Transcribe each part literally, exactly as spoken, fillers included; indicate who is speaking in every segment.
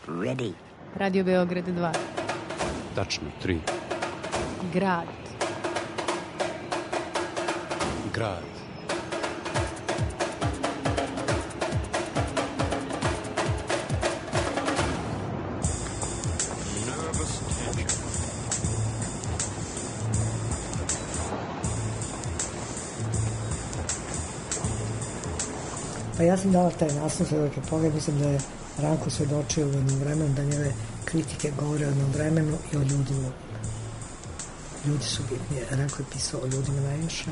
Speaker 1: Ready.
Speaker 2: Radio Beograd dva.
Speaker 3: Tačno, tri.
Speaker 2: Grad.
Speaker 3: Grad.
Speaker 4: Pa ja sam dala taj naslov Svedoke pogled, mislim da je Ranko svedočio u jednom vremenu, da njeve kritike govore o jednom vremenu i o ljudima. Ljudi su bitni. Ranko je pisao o ljudima najviše,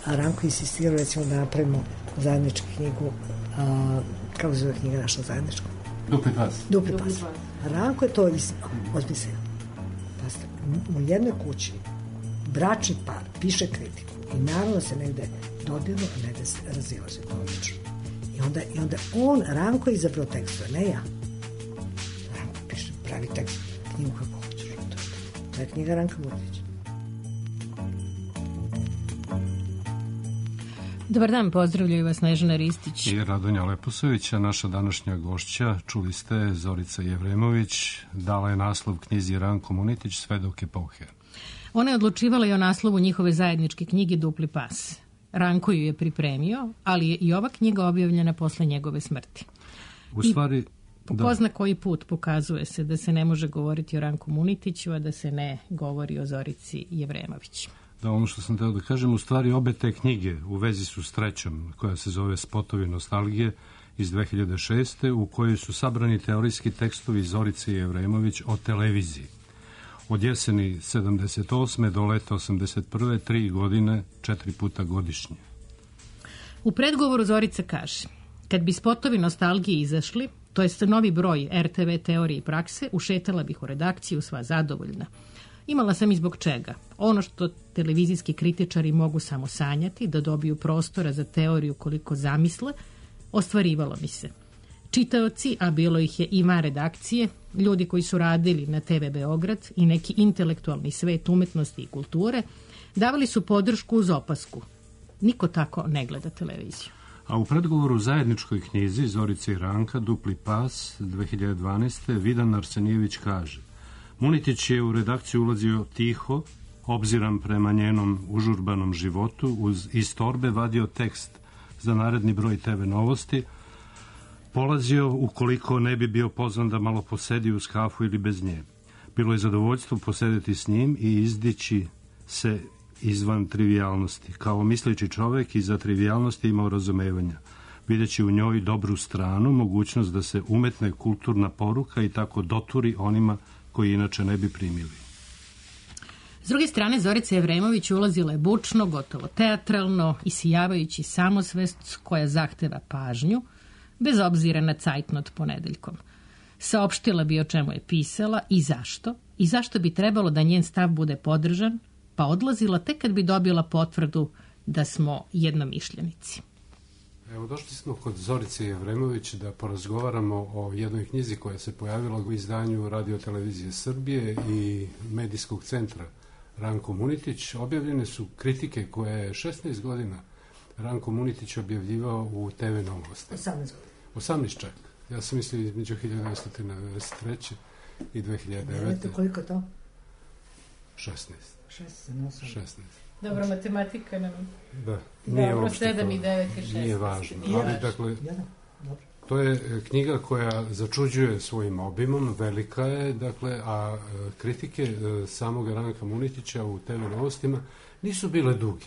Speaker 4: a Ranko je insistirao recimo da napravimo zajedničku knjigu, a, kako se zove knjiga naša zajednička?
Speaker 3: Dupli pas.
Speaker 4: Dupli pas. Ranko je to osmislio. U jednoj kući bračni par piše kritiku i naravno se negde dobilo, a negde se razilaže komično. I onda, I onda on, Ranko je izabrao tekstove, ne ja. Ranko piše, pravi tekst, knjigu kako hoćeš. To je knjiga Ranka Murdića.
Speaker 2: Dobar dan, pozdravljaju vas Snežana Ristić
Speaker 5: i Radonja Leposović, a naša današnja gošća, čuli ste, Zorica Jevremović, dala je naslov knjizi Ranko Munitić, Svedok epohe.
Speaker 2: Ona je odlučivala i o naslovu njihove zajedničke knjige Dupli pas. Ranko ju je pripremio, ali je i ova knjiga objavljena posle njegove smrti.
Speaker 5: U stvari,
Speaker 2: po ko zna koji put pokazuje se da se ne može govoriti o Ranku Munitiću, a da se ne govori o Zorici Jevremović.
Speaker 5: Da, ono što sam teo da kažem, u stvari obe te knjige u vezi su s trećom, koja se zove Spotovi nostalgije iz dve hiljade šeste. u kojoj su sabrani teorijski tekstovi Zorice Jevremović o televiziji. Od jeseni sedamdeset osme do leta osamdeset prve, tri godine, četiri puta godišnje.
Speaker 2: U predgovoru Zorica kaže: kad bi Spotovi nostalgije izašli, to jest novi broj er te ve teorije i prakse, ušetala bih u redakciju sva zadovoljna. Imala sam i zbog čega. Ono što televizijski kritičari mogu samo sanjati, da dobiju prostora za teoriju koliko zamisle, ostvarivalo mi se. Čitaoci, a bilo ih je i van redakcije, ljudi koji su radili na te ve Beograd i neki intelektualni svet umetnosti i kulture, davali su podršku uz opasku. Niko tako ne gleda televiziju.
Speaker 5: A u predgovoru u zajedničkoj knjizi Zorice i Ranka, Dupli pas, dve hiljade dvanaeste. Vidan Arsenijević kaže: Munitić je u redakciju ulazio tiho, obziran prema njenom užurbanom životu, uz iz torbe vadio tekst za naredni broj te ve novosti, polazio ukoliko ne bi bio pozvan da malo posedi uz kafu ili bez nje. Bilo je zadovoljstvo posedeti s njim i izdići se izvan trivijalnosti. Kao misleći čovek i za trivijalnosti imao razumevanja, videći u njoj dobru stranu, mogućnost da se umetne kulturna poruka i tako doturi onima koji inače ne bi primili.
Speaker 2: S druge strane, Zorica Jevremović ulazila je bučno, gotovo teatralno, isijavajući samosvest koja zahteva pažnju, bez obzira na cajtnot ponedeljkom. Saopštila bi o čemu je pisala i zašto, i zašto bi trebalo da njen stav bude podržan, pa odlazila tek kad bi dobila potvrdu da smo jednomišljenici.
Speaker 3: Evo, došli smo kod Zorice Jevremović da porazgovaramo o jednoj knjizi koja se pojavila u izdanju Radio-televizije Srbije i medijskog centra Ranko Munitić. Objavljene su kritike koje je šesnaest godina Ranko Munitić objavljivao u te ve novosti.
Speaker 4: osamnaest godina.
Speaker 3: osamnaest čak. Ja sam mislio između hiljadu devetsto devedeset treće. i dve hiljade devete.
Speaker 4: Koliko to?
Speaker 3: šesnaest.
Speaker 4: šesnaest.
Speaker 3: šesnaest.
Speaker 2: Dobro, matematika nam...
Speaker 3: Da, nije
Speaker 2: Dobro,
Speaker 3: uopšte
Speaker 2: sedam
Speaker 3: to,
Speaker 2: i devet i šest.
Speaker 3: nije važno.
Speaker 2: Nije
Speaker 3: Ali,
Speaker 2: važno.
Speaker 3: dakle,
Speaker 4: Jedan, dobro.
Speaker 3: to je knjiga koja začuđuje svojim obimom, velika je, dakle, a e, kritike e, samog Ranka Munitića u te ve novostima nisu bile duge.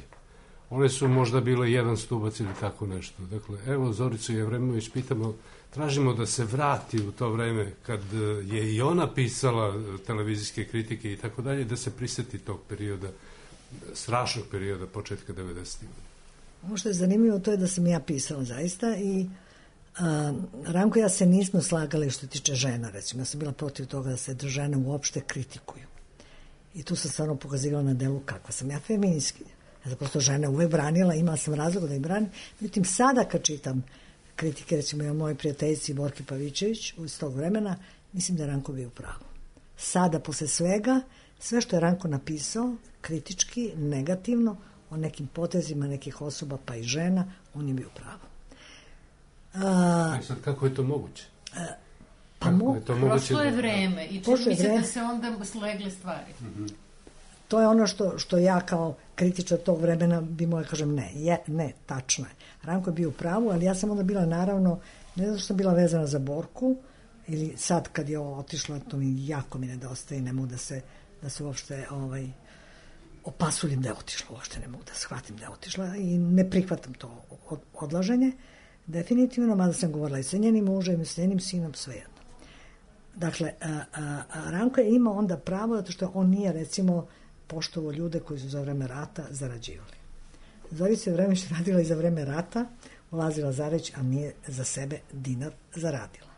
Speaker 3: One su možda bile jedan stubac ili tako nešto. Dakle, evo, Zoricu Jevremović pitamo, tražimo da se vrati u to vreme kad je i ona pisala televizijske kritike i tako dalje, da se priseti tog perioda, strašnog perioda početka devedesetih.
Speaker 4: Ono što je zanimljivo to je da sam ja pisala zaista i a, Ranko i ja se nismo slagali što tiče žena, recimo. Ja sam bila protiv toga da se žene uopšte kritikuju. I tu sam stvarno pokazivala na delu kakva sam ja feministki. Ja sam prosto žene uvek branila, imala sam razloga da ih branim. Međutim, sada kad čitam kritike, recimo i o mojoj prijateljici Borki Pavićević iz tog vremena, mislim da je Ranko bio u pravu. Sada, posle svega, sve što je Ranko napisao, kritički, negativno, o nekim potezima nekih osoba, pa i žena, on je bio u pravu.
Speaker 3: A, sad, kako je to moguće?
Speaker 4: A, pa tamo.
Speaker 3: Je to
Speaker 2: prošlo je vreme i čini mi se
Speaker 4: vreme.
Speaker 2: Da se onda slegle stvari.
Speaker 3: Mm-hmm.
Speaker 4: To je ono što, što ja kao kritičar tog vremena bi moja kažem ne, je, ne, tačno je. Ranko je bio u pravu, ali ja sam onda bila naravno, ne znam što sam bila vezana za Borku, ili sad kad je ovo otišla, to mi jako mi nedostaje, ne mogu da se, da se uopšte ovaj, opasuljim da je otišla, uopšte ne mogu da shvatim da je otišla i ne prihvatam to odlaženje, definitivno, mada sam govorila i sa njenim mužem i sa njenim sinom, svejedno. Dakle, a, a, a Ranko je imao onda pravo, zato što on nije, recimo, poštovao ljude koji su za vreme rata zarađivali. Zorica je vreme što radila i za vreme rata, ulazila za reć, a nije za sebe dinar zaradila.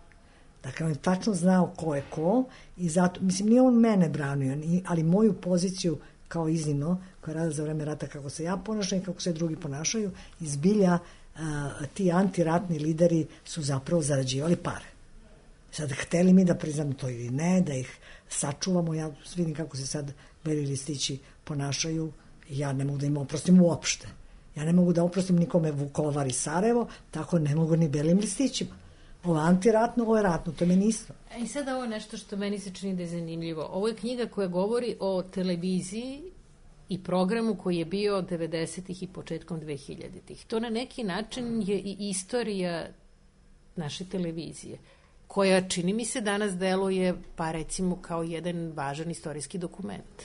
Speaker 4: Dakle, on je tačno znao ko je ko i zato, mislim, nije on mene branio, ali moju poziciju kao iznimno, koja rada za vreme rata, kako se ja ponašam i kako se drugi ponašaju, izbilja a, ti antiratni lideri su zapravo zarađivali pare. Sad, hteli mi da priznam to ili ne, da ih sačuvamo, ja vidim kako se sad beli listići ponašaju, ja ne mogu da im oprostim uopšte. Ja ne mogu da oprostim nikome Vukovar i Sarajevo, tako ne mogu ni belim listićima. Ovo je antiratno, ovo je ratno, to je meni isto.
Speaker 2: I sada ovo je nešto što meni se čini da je zanimljivo. Ovo je knjiga koja govori o televiziji i programu koji je bio devedesetih i početkom dvehiljaditih. To na neki način je i istorija naše televizije, koja čini mi se danas deluje, pa recimo, kao jedan važan istorijski dokument.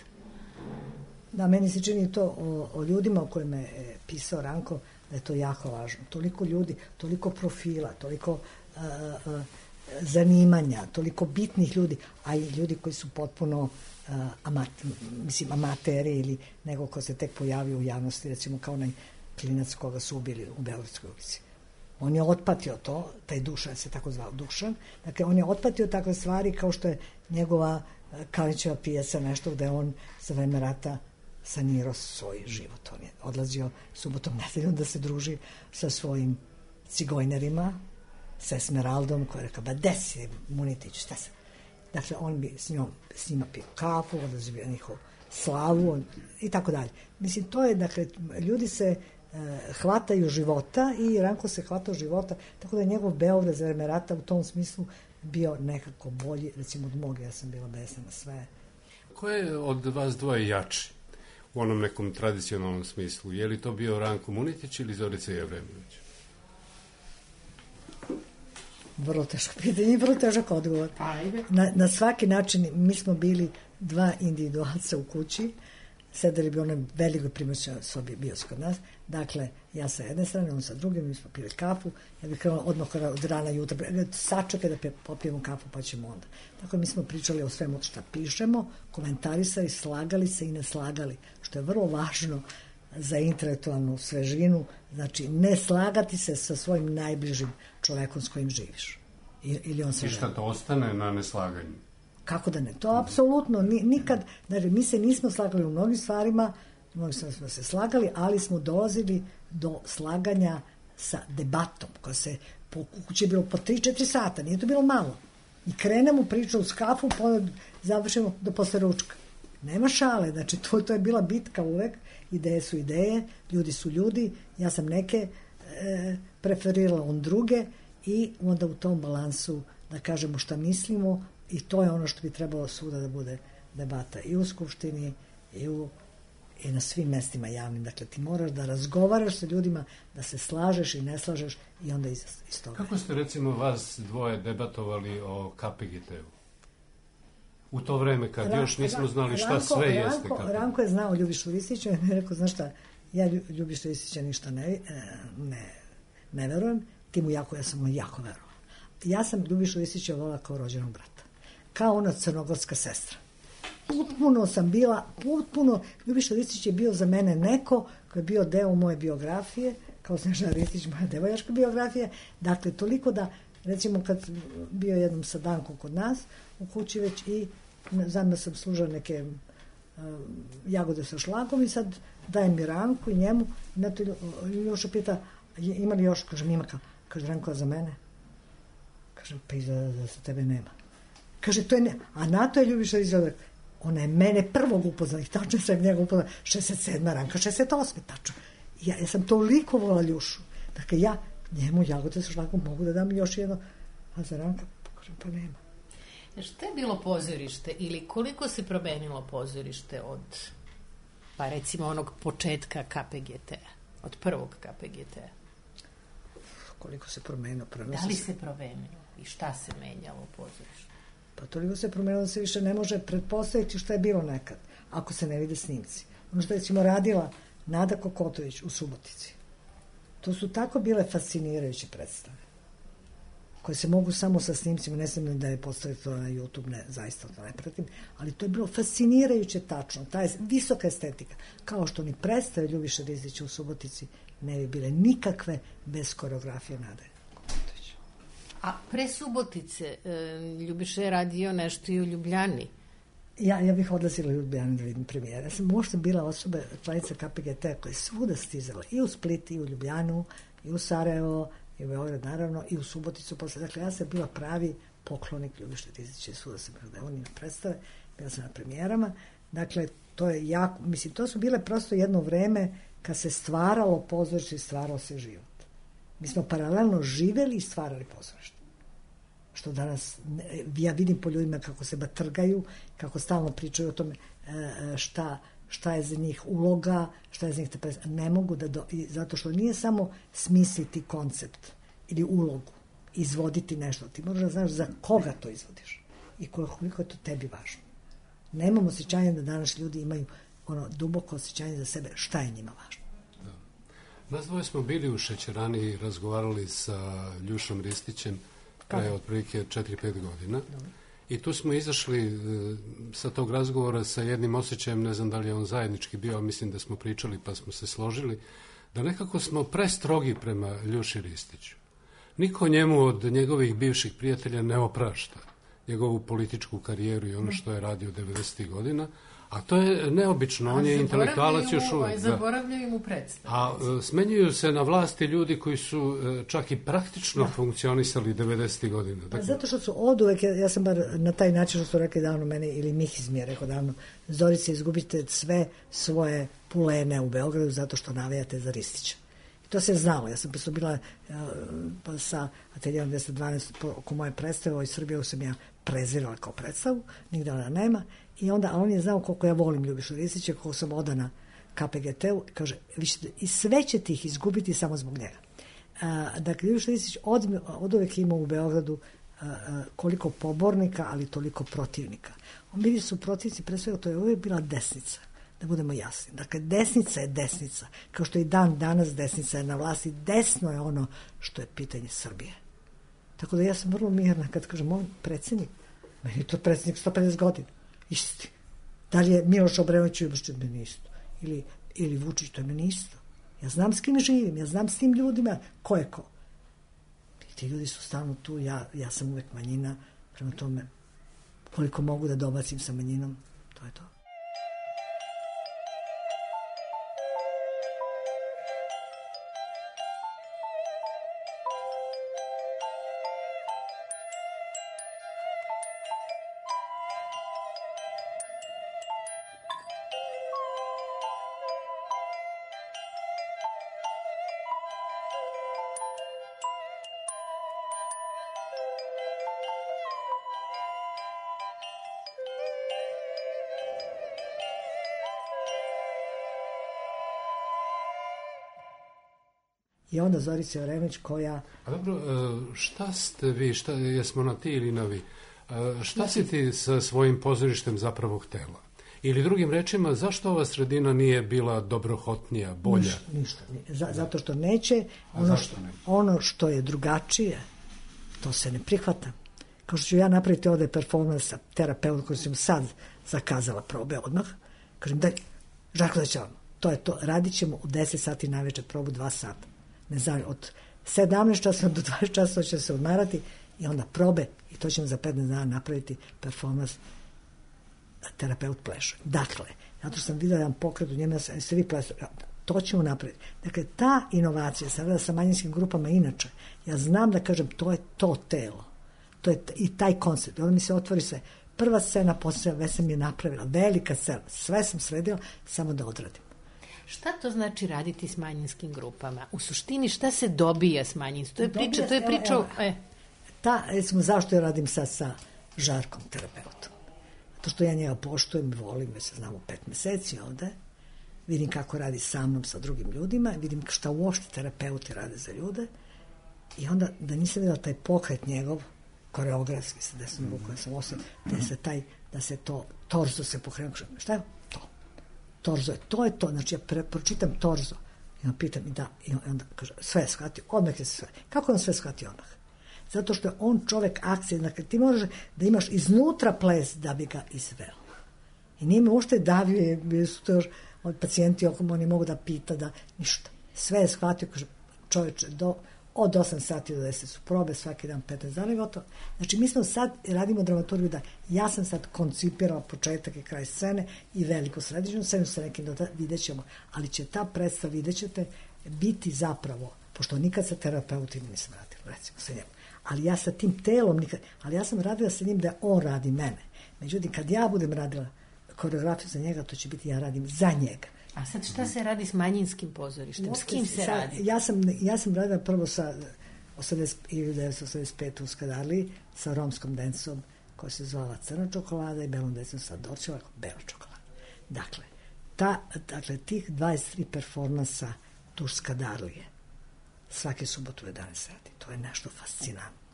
Speaker 4: Da, meni se čini to o, o ljudima o kojima je pisao Ranko, da je to jako važno. Toliko ljudi, toliko profila, toliko uh, uh, zanimanja, toliko bitnih ljudi, a i ljudi koji su potpuno uh, amat, mislim, amateri ili nego ko se tek pojavio u javnosti, recimo kao onaj klinac koga su ubili u Beogradskoj ulici. On je otpatio to, taj Dušan se tako zvao Dušan, dakle on je otpatio takve stvari kao što je njegova Kalićeva pijaca, nešto gde on za vreme rata sanirao svoj život. On je odlazio subotom, nedeljom da se druži sa svojim cigojnerima, sa Esmeraldom, koja je rekao, ba desi, Munitić, šta se? Dakle, on bi s njom, s njima pio kafu, odlazio bi na njihovu slavu on, i tako dalje. Mislim, to je, dakle, ljudi se hvataju života i Ranko se hvatao života, tako da je njegov Beograd za vreme rata u tom smislu bio nekako bolji, recimo od moga, ja sam bila besna na sve.
Speaker 3: Ko je od vas dvoje jači u onom nekom tradicionalnom smislu? Je li to bio Ranko Munitić ili Zorica Jevreminović?
Speaker 4: Vrlo teško pitanje i vrlo težak odgovor. Na, na svaki način mi smo bili dva individualca u kući, sedeli bi onoj velikoj primaćnoj sobi bio kod nas. Dakle, ja sa jedne strane, on sa druge, mi smo pili kafu, ja bih krenula odmah od rana jutra, sačekaj da popijemo kafu pa ćemo onda. Tako mi smo pričali o svemu što pišemo, komentarisali, slagali se i ne slagali, što je vrlo važno za intelektualnu svežinu, znači ne slagati se sa svojim najbližim čovekom s kojim živiš. I, ili on se
Speaker 3: I šta to ostane na neslaganju?
Speaker 4: Kako da ne? To apsolutno nikad, znači mi se nismo slagali u mnogim stvarima, mnogim stvarima smo se slagali, ali smo dolazili do slaganja sa debatom, koja se po kući je bilo po tri četiri sata, nije to bilo malo. I krenemo priču uz kafu, pa završimo do posle ručka. Nema šale, znači to, to je bila bitka uvek, ideje su ideje, ljudi su ljudi, ja sam neke e, preferirala on druge i onda u tom balansu da kažemo šta mislimo i to je ono što bi trebalo svuda da bude debata i u Skupštini i, u, i na svim mestima javnim. Dakle, ti moraš da razgovaraš sa ljudima, da se slažeš i ne slažeš i onda iz, iz toga.
Speaker 3: Kako ste recimo vas dvoje debatovali o K P G T-u? U to vreme kad Ran, još nismo znali šta Ranko, sve Ranko, jeste K P G T.
Speaker 4: Ranko je znao Ljubišu Ristića i mi je rekao, znaš šta, ja Ljubišu Ristića ništa ne, ne, ne verujem, ti mu jako, ja sam mu jako verovala. Ja sam Ljubišu Ristića volila kao rođenog brata, kao ona crnogorska sestra. Potpuno sam bila, potpuno, Ljubiša Ristić je bio za mene neko koji je bio deo moje biografije, kao Snežana Ristić, moja devojačka biografija, dakle, toliko da, recimo, kad bio jednom sa Dankom kod nas, u kući već i znam da sam služila neke uh, jagode sa šlagom i sad dajem mi Ranku i njemu, i na to Ljuša pita, ima li još? Kažem, ima kao, kaže, Ranko, za mene? Kažem, pa i za, za, za tebe nema. Kaže, to je ne, a na to je Ljubiša izgleda, ona je mene prvog upoznala, i tačno sam njega upoznala, šezdeset sedma Ranka, šezdeset osme tačno. Ja, ja sam toliko volala Ljušu. Dakle, ja njemu jagode sa šlagom mogu da dam još jedno, a za Ranka, kažem, pa nema.
Speaker 2: Šta je bilo pozorište ili koliko se promenilo pozorište od, pa recimo, onog početka K P G T-a, od prvog K P G T-a?
Speaker 4: Koliko se promenilo?
Speaker 2: Da li se promenilo i šta se menjalo u pozorištu?
Speaker 4: Pa toliko se promenilo da se više ne može pretpostaviti šta je bilo nekad, ako se ne vide snimci. Ono što je, recimo, radila Nada Kokotović u Subotici. To su tako bile fascinirajuće predstave, koje se mogu samo sa snimcima, ne znam da je postaviti to na YouTube, ne, zaista to ne pratim, ali to je bilo fascinirajuće tačno, ta je visoka estetika, kao što ni predstave Ljubiše Ristića u Subotici ne bi bile nikakve bez koreografije Nade Kokotović.
Speaker 2: A pre Subotice Ljubiša je radio nešto i u Ljubljani.
Speaker 4: Ja, ja bih odlazila u Ljubljanu da vidim premijere. Ja sam možda bila osoba, članica K P G T koja je svuda stizala, i u Split, i u Ljubljanu, i u Sarajevo, i u Beograd, naravno, i u Suboticu posle. Dakle, ja sam bila pravi poklonik Ljubiše Ristića, svuda sam bila da on ima predstave, bila sam na premijerama. Dakle, to je jako, mislim, to su bile prosto jedno vreme kad se stvaralo pozorište i stvarao se život. Mi smo paralelno živeli i stvarali pozorište. Što danas, ja vidim po ljudima kako se batrgaju, kako stalno pričaju o tome šta, šta je za njih uloga, šta je za njih te predstave. Ne mogu da, do, zato što nije samo smisliti koncept ili ulogu, izvoditi nešto. Ti moraš da znaš za koga to izvodiš i koliko je to tebi važno. Nemamo osjećanje da danas ljudi imaju ono duboko osjećanje za sebe šta je njima važno.
Speaker 3: Da. Nas dvoje smo bili u Šećerani i razgovarali sa Ljušom Ristićem pre otprilike četiri pet godina. Dobre. I tu smo izašli e, sa tog razgovora sa jednim osjećajem, ne znam da li je on zajednički bio, mislim da smo pričali pa smo se složili, da nekako smo prestrogi prema Ljuši Ristiću. Niko njemu od njegovih bivših prijatelja ne oprašta njegovu političku karijeru i ono što je radio devedesetih godina, a to je neobično, on je intelektualac još uvijek.
Speaker 2: Zaboravljaju mu predstavu.
Speaker 3: A smenjuju se na vlasti ljudi koji su čak i praktično da. funkcionisali devedesetih godina. Dakle,
Speaker 4: zato što su oduvek, ja, ja sam bar na taj način što su rekli davno mene, ili Mihiz mi je rekao davno, Zorice, izgubite sve svoje pulene u Beogradu zato što navijate za Ristića. I to se znalo. Ja sam pa bila uh, sa Ateljerom dvesta dvanaest oko moje predstave, ovo iz Srbije sam ja prezirala kao predstavu, nigde ona nema. I onda, a on je znao koliko ja volim Ljubišu Ristića, koliko sam odana K P G T-u, kaže, vi ćete, i sve ćete ih izgubiti samo zbog njega. A, dakle, Ljubiša Ristić od, od uvek imao u Beogradu a, a, koliko pobornika, ali toliko protivnika. On bili su protivnici, pre svega, to je uvek bila desnica, da budemo jasni. Dakle, desnica je desnica, kao što i dan danas desnica je na vlasti, desno je ono što je pitanje Srbije. Tako da ja sam vrlo mirna kad kažem, on predsjednik, meni je to predsjednik sto pedeset godina. Isti. Da li je Miloš Obrenović Ljubiša, meni isto. Ili, ili Vučić, to je meni isto. Ja znam s kim živim, ja znam s tim ljudima ko je ko. I ti ljudi su stalno tu, ja, ja sam uvek manjina, prema tome koliko mogu da dobacim sa manjinom, to je to. I onda Zorica Jeremić koja...
Speaker 3: A dobro, šta ste vi, šta, jesmo na ti ili na vi? Šta si ti sa svojim pozorištem zapravo htela? Ili drugim rečima, zašto ova sredina nije bila dobrohotnija, bolja?
Speaker 4: Ništa, ništa. Z- zato što neće, ono što, ne? ono što je drugačije, to se ne prihvata. Kao što ću ja napraviti ovde performans sa terapeutom koji sam sad zakazala probe odmah, kažem, daj, Žarko da će vam, to je to, radit ćemo u deset sati na večer, probu dva sata. Ne znam, od sedamnaest časova do dvadeset časova će se odmarati i onda probe i to ćemo za petnaest dana napraviti performans terapeut pleše. Dakle, zato što sam videla jedan pokret u njemu, se vi plesu, to ćemo napraviti. Dakle, ta inovacija, sam rada sa manjinskim grupama inače, ja znam da kažem, to je to telo, to je i taj koncept. Onda mi se otvori sve. Prva scena, posljedna, već sam je napravila, velika scena, sve sam sredila, samo da odradim.
Speaker 2: Šta to znači raditi s manjinskim grupama? U suštini, šta se dobija s manjinskim? To je priča, to je priča...
Speaker 4: Evo, evo. E. Ta, recimo, zašto ja radim sad sa Žarkom, terapeutom. To što ja njega poštujem, volim, već se znamo pet meseci ovde, vidim kako radi sa mnom, sa drugim ljudima, vidim šta uopšte terapeuti rade za ljude i onda da nisam videla taj pokret njegov, koreografski sa desnom rukom, ja sam osam, da se taj, da se to, torzo se pokrenuo, šta je to? Torzo je, to je to, znači ja pre, pročitam torzo i onda pitam i da, i onda kaže, sve je shvatio, odmah je se sve. Kako on sve shvatio odmah? Zato što je on čovek akcije, dakle ti možeš da imaš iznutra ples da bi ga izveo. I nije me uopšte davio, bili su to još od pacijenti oko oni mogu da pita, da ništa. Sve je shvatio, kaže čoveče, do, od osam sati do deset su probe, svaki dan petnaest dana i gotovo. Znači mi smo sad, radimo dramaturgiju da ja sam sad koncipirao početak i kraj scene i veliku središnju scenu sa nekim doda, vidjet ćemo, ali će ta predstava, vidjet ćete, biti zapravo, pošto nikad sa terapeutima nisam radila, recimo sa njemu, ali ja sa tim telom nikad, ali ja sam radila sa njim da on radi mene. Međutim, kad ja budem radila koreografiju za njega, to će biti ja radim za njega.
Speaker 2: A sad šta se radi s manjinskim pozorištem? S kim se
Speaker 4: sad,
Speaker 2: radi?
Speaker 4: Ja sam, ja sam radila prvo sa hiljadu devetsto osamdeset pete u Skadarliji sa romskom dencom koja se zvala Crna čokolada i belom dencom sa Dorćeva bela čokolada. Dakle, ta, dakle, tih dvadeset tri performansa duž Skadarlije svake subotu u jedanaest sati. To je nešto fascinantno.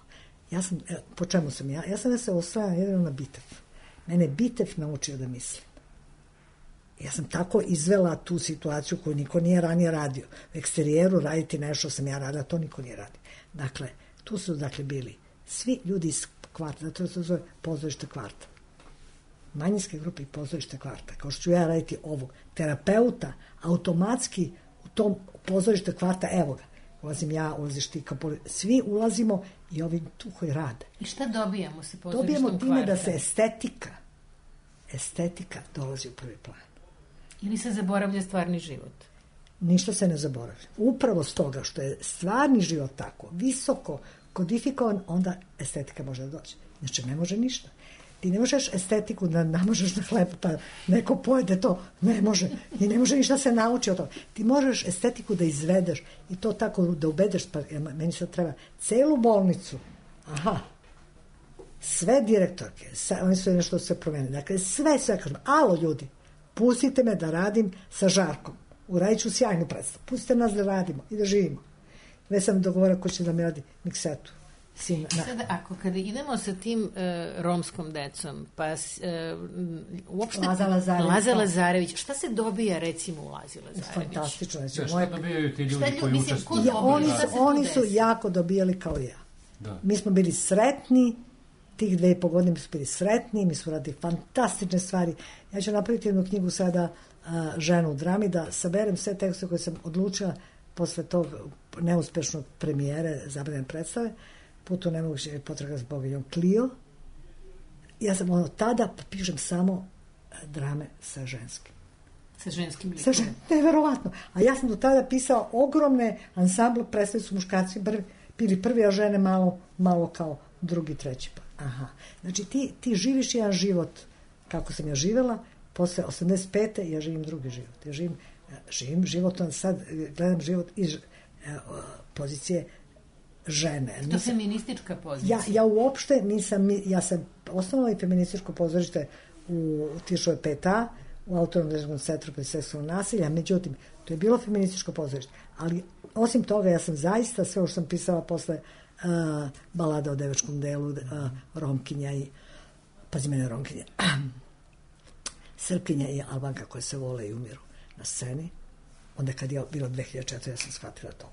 Speaker 4: Ja sam, po čemu sam ja? Ja sam da se osvajala jedino na Bitev. Mene Bitev naučio da mislim. Ja sam tako izvela tu situaciju koju niko nije ranije radio. U eksterijeru raditi nešto sam ja radila, to niko nije radio. Dakle, tu su dakle bili svi ljudi iz kvarta, zato se zove pozorište kvarta. Manjinske grupe i pozorište kvarta. Kao što ću ja raditi ovog terapeuta, automatski u tom pozorište kvarta, evo ga, ulazim ja, ulaziš ti, kapoli, svi ulazimo i ovi tu koji rade.
Speaker 2: I šta dobijamo sa pozorištom kvarta?
Speaker 4: Dobijamo time da se estetika, estetika dolazi u prvi plan.
Speaker 2: Ili se zaboravlja stvarni život?
Speaker 4: Ništa se ne zaboravlja. Upravo s toga što je stvarni život tako visoko kodifikovan, onda estetika može da dođe. Znači, ne može ništa. Ti ne možeš estetiku da namažeš na hleb, pa neko pojede to. Ne može. I ne može ništa se nauči od toga. Ti možeš estetiku da izvedeš i to tako da ubedeš, pa meni sad treba celu bolnicu. Aha. Sve direktorke, oni su nešto se promenili. Dakle, sve, sve kažem, alo ljudi, pustite me da radim sa Žarkom. Uradit ću sjajnu predstavu. Pustite nas da radimo i da živimo. Već sam dogovorila ko će da mi radi miksetu. Sin,
Speaker 2: sada, ako kada idemo sa tim uh, romskom decom, pa uh, uopšte
Speaker 4: Laza Lazarević,
Speaker 2: Laza Lazarević, šta se dobija recimo u Lazi Lazarević?
Speaker 4: Fantastično. Znači,
Speaker 3: ja, šta moje... dobijaju ti ljudi
Speaker 2: šta,
Speaker 3: koji
Speaker 2: mislim,
Speaker 3: učestvuju?
Speaker 4: Ja, oni su, oni su jako dobijali kao ja. Da. Mi smo bili sretni, tih dve i po godine mi smo bili sretni, mi smo radili fantastične stvari. Ja ću napraviti jednu knjigu sada, uh, Ženu u drami, da saberem sve tekste koje sam odlučila posle tog neuspešnog premijere zabranjene predstave, Putu nemoguće potraga s boginjom Clio. Ja sam ono, tada pišem samo drame sa ženskim.
Speaker 2: Sa ženskim likom.
Speaker 4: Sa žen... Neverovatno. A ja sam do tada pisala ogromne ansambl, predstavili su muškarci prvi, bili prvi, a žene malo, malo kao drugi, treći. Pa. Aha. Znači ti, ti živiš jedan život kako sam ja živela, posle osamdeset pete ja živim drugi život. Ja živim, živim život, sad gledam život iz pozicije žene.
Speaker 2: To je feministička pozicija.
Speaker 4: Ja, ja uopšte nisam, ja sam osnovala i feminističko pozorište u Tišove pet a, u Autonomnom centru protiv seksualnog nasilja, međutim, to je bilo feminističko pozorište, ali osim toga ja sam zaista sve što sam pisala posle uh, balada o devačkom delu, uh, Romkinja i, pazi mene, Romkinja, Srpkinja i Albanka koje se vole i umiru na sceni, onda kad je bilo dve hiljade četiri ja sam shvatila to.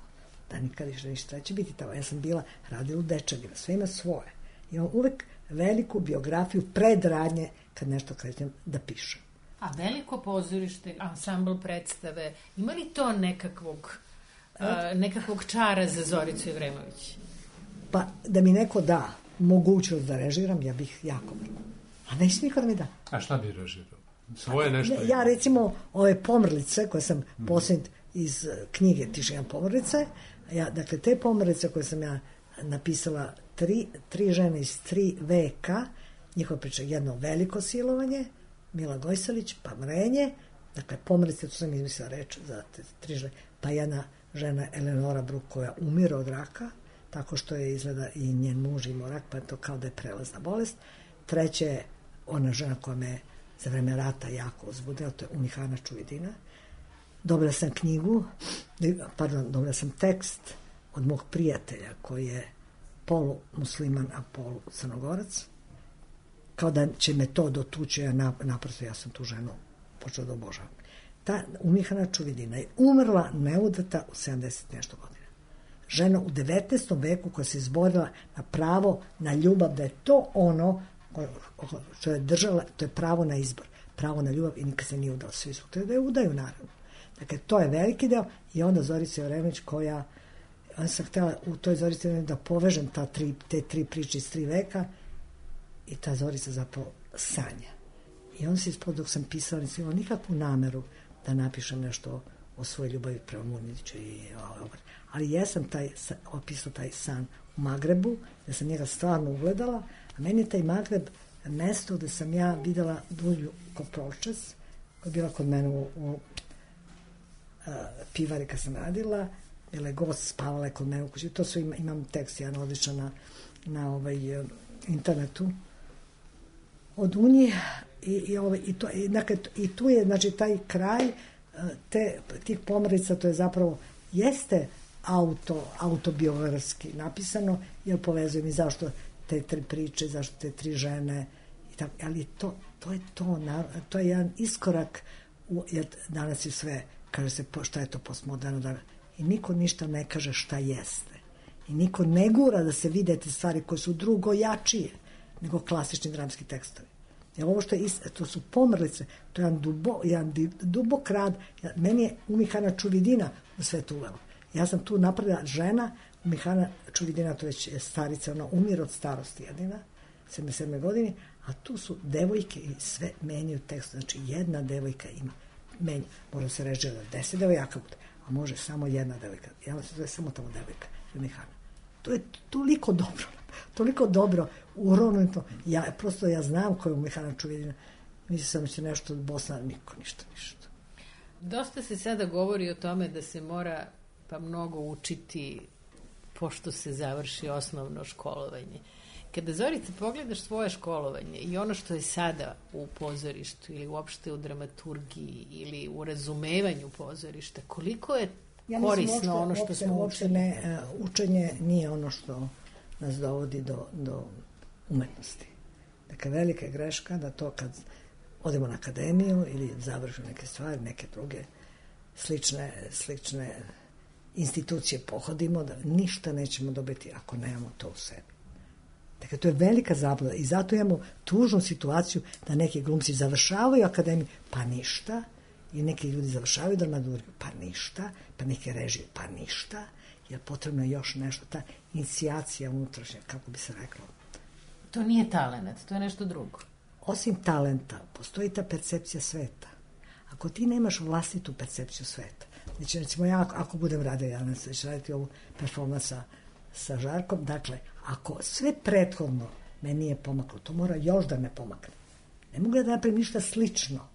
Speaker 4: Da nikad više ništa će biti tamo. Ja sam bila radila u Dečanima, sve ima svoje. Imam uvek veliku biografiju predradnje kad nešto krećem da pišem.
Speaker 2: A veliko pozorište, ansambl predstave, ima li to nekakvog, uh, nekakvog čara za Zoricu Jevremović?
Speaker 4: Pa da mi neko da mogućnost da režiram, ja bih jako vrlo. A neće niko da mi da.
Speaker 3: A šta bi režirao? Svoje nešto?
Speaker 4: Ne, ja recimo ove Pomrlice koje sam mm. posljednj iz knjige Tišina Pomrlice, ja, dakle, te Pomrlice koje sam ja napisala, tri, tri žene iz tri veka, njihova priča, jedno veliko silovanje, Mila Gojsalić, pa Mrenje, dakle, Pomrlice, tu sam izmislila reč za te tri žene, pa jedna žena Eleonora Bruk koja umira od raka, tako što je izgleda i njen muž imao rak, pa je to kao da je prelazna bolest. treće je ona žena koja me za vreme rata jako uzbudila, to je Umihana Čuvidina. Dobila sam knjigu, pardon, dobila sam tekst od mog prijatelja koji je polu musliman, a polu crnogorac. Kao da će me to dotući, ja naprosto, ja sam tu ženu počela da obožavam. Ta Umihana Čuvidina je umrla neudata u sedamdeset nešto godina. Žena u devetnaestom veku koja se izborila na pravo na ljubav, da je to ono što je držala, to je pravo na izbor, pravo na ljubav i nikad se nije udala. Svi su htjeli da je udaju, naravno. Dakle, to je veliki deo i onda Zorica Jeremić koja, ona sam htjela u toj Zorici Jeremić da povežem ta tri, te tri priče iz tri veka i ta Zorica zapravo sanja. I onda se ispod dok sam pisala, nisam imala nikakvu nameru da napišem nešto o svojoj ljubavi prema Murniću i ali jesam taj, opisao taj san u Magrebu, da sam njega stvarno ugledala, a meni je taj Magreb mesto gde sam ja videla Dulju Koprolčas, koja je bila kod mene u, u a, pivari kad sam radila, bila je gost, spavala je kod mene u kući, to su, ima, imam tekst jedan odličan na, na ovaj, internetu od Unije i, i, ovaj, i, to, i, dakle, i tu je znači, taj kraj te, tih pomrlica, to je zapravo jeste auto, autobiografski napisano, jer povezujem i zašto te tri priče, zašto te tri žene, i tako, ali to, to je to, to je jedan iskorak, u, jer danas je sve, kaže se šta je to postmoderno, da, i niko ništa ne kaže šta jeste. I niko ne gura da se vide te stvari koje su drugo jačije nego klasični dramski tekstovi. Jer ovo što je, to su pomrlice, to je jedan, dubo, jedan dubok rad, meni je Umihana Čuvidina u sve to uvela. Ja sam tu napravila žena, Umihana Čuvidina, to već je starica, ona umire od starosti jedina, sedamdeset sedme godine, a tu su devojke i sve menjaju tekst, znači jedna devojka ima, menja, može se reći da deset devojaka bude, a može samo jedna devojka, ja se zove samo tamo devojka, Umihana. To je toliko dobro, toliko dobro urovnuto, ja, prosto ja znam koju Umihana Čuvidina, mislim sam će nešto od Bosna, niko, ništa, ništa.
Speaker 2: Dosta se sada govori o tome da se mora pa mnogo učiti pošto se završi osnovno školovanje. Kada, Zorica, pogledaš svoje školovanje i ono što je sada u pozorištu ili uopšte u dramaturgiji ili u razumevanju pozorišta, koliko je ja korisno uopšte, ono što uopšte, smo uopšte ne,
Speaker 4: uh, učenje nije ono što nas dovodi do, do umetnosti. Dakle, velika je greška da to kad odemo na akademiju ili završimo neke stvari, neke druge slične, slične institucije pohodimo, da ništa nećemo dobiti ako nemamo to u sebi. Dakle, to je velika zabluda i zato imamo tužnu situaciju da neki glumci završavaju akademiju, pa ništa, i neki ljudi završavaju dramaturgiju, pa ništa, pa neke režije, pa ništa, jer potrebno je još nešto, ta inicijacija unutrašnja, kako bi se reklo.
Speaker 2: To nije talent, to je nešto drugo.
Speaker 4: Osim talenta, postoji ta percepcija sveta. Ako ti nemaš vlastitu percepciju sveta, znači, recimo ja, ako budem radila, ja ne ću raditi ovu performans sa, sa Žarkom, dakle, ako sve prethodno me nije pomaklo, to mora još da me pomakne. Ne mogu da napravim ništa slično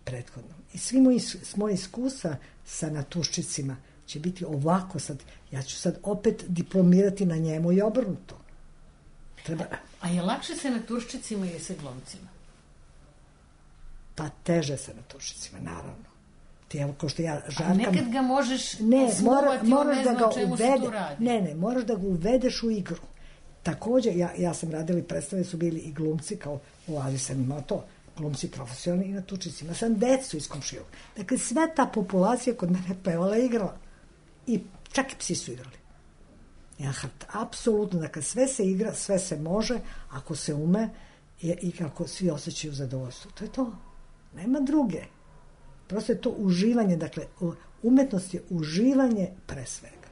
Speaker 4: prethodno. I svi moji, moji iskustva sa Naturščicima će biti ovako sad. Ja ću sad opet diplomirati na njemu i obrnuto. Treba...
Speaker 2: A je lakše sa Naturščicima ili sa glumcima?
Speaker 4: Pa teže sa Naturščicima, naravno. Ti, evo, ko što ja, Žarka...
Speaker 2: A nekad ga možeš
Speaker 4: ne, mora, moraš
Speaker 2: ne
Speaker 4: da ga
Speaker 2: čemu
Speaker 4: uvede,
Speaker 2: se tu radi.
Speaker 4: Ne, ne, moraš da ga uvedeš u igru. Takođe, ja, ja sam radila i predstave, su bili i glumci, kao u Aziji sam imao to, glumci profesionalni i Naturščici. Ima sam decu iz komšijog. Dakle, sve ta populacija kod mene pevala i igrala. I čak i psi su igrali. Ja, apsolutno, dakle, sve se igra, sve se može, ako se ume i, i kako svi osjećaju zadovoljstvo. To je to. Nema druge. Prosto je to uživanje, dakle, umetnost je uživanje pre svega.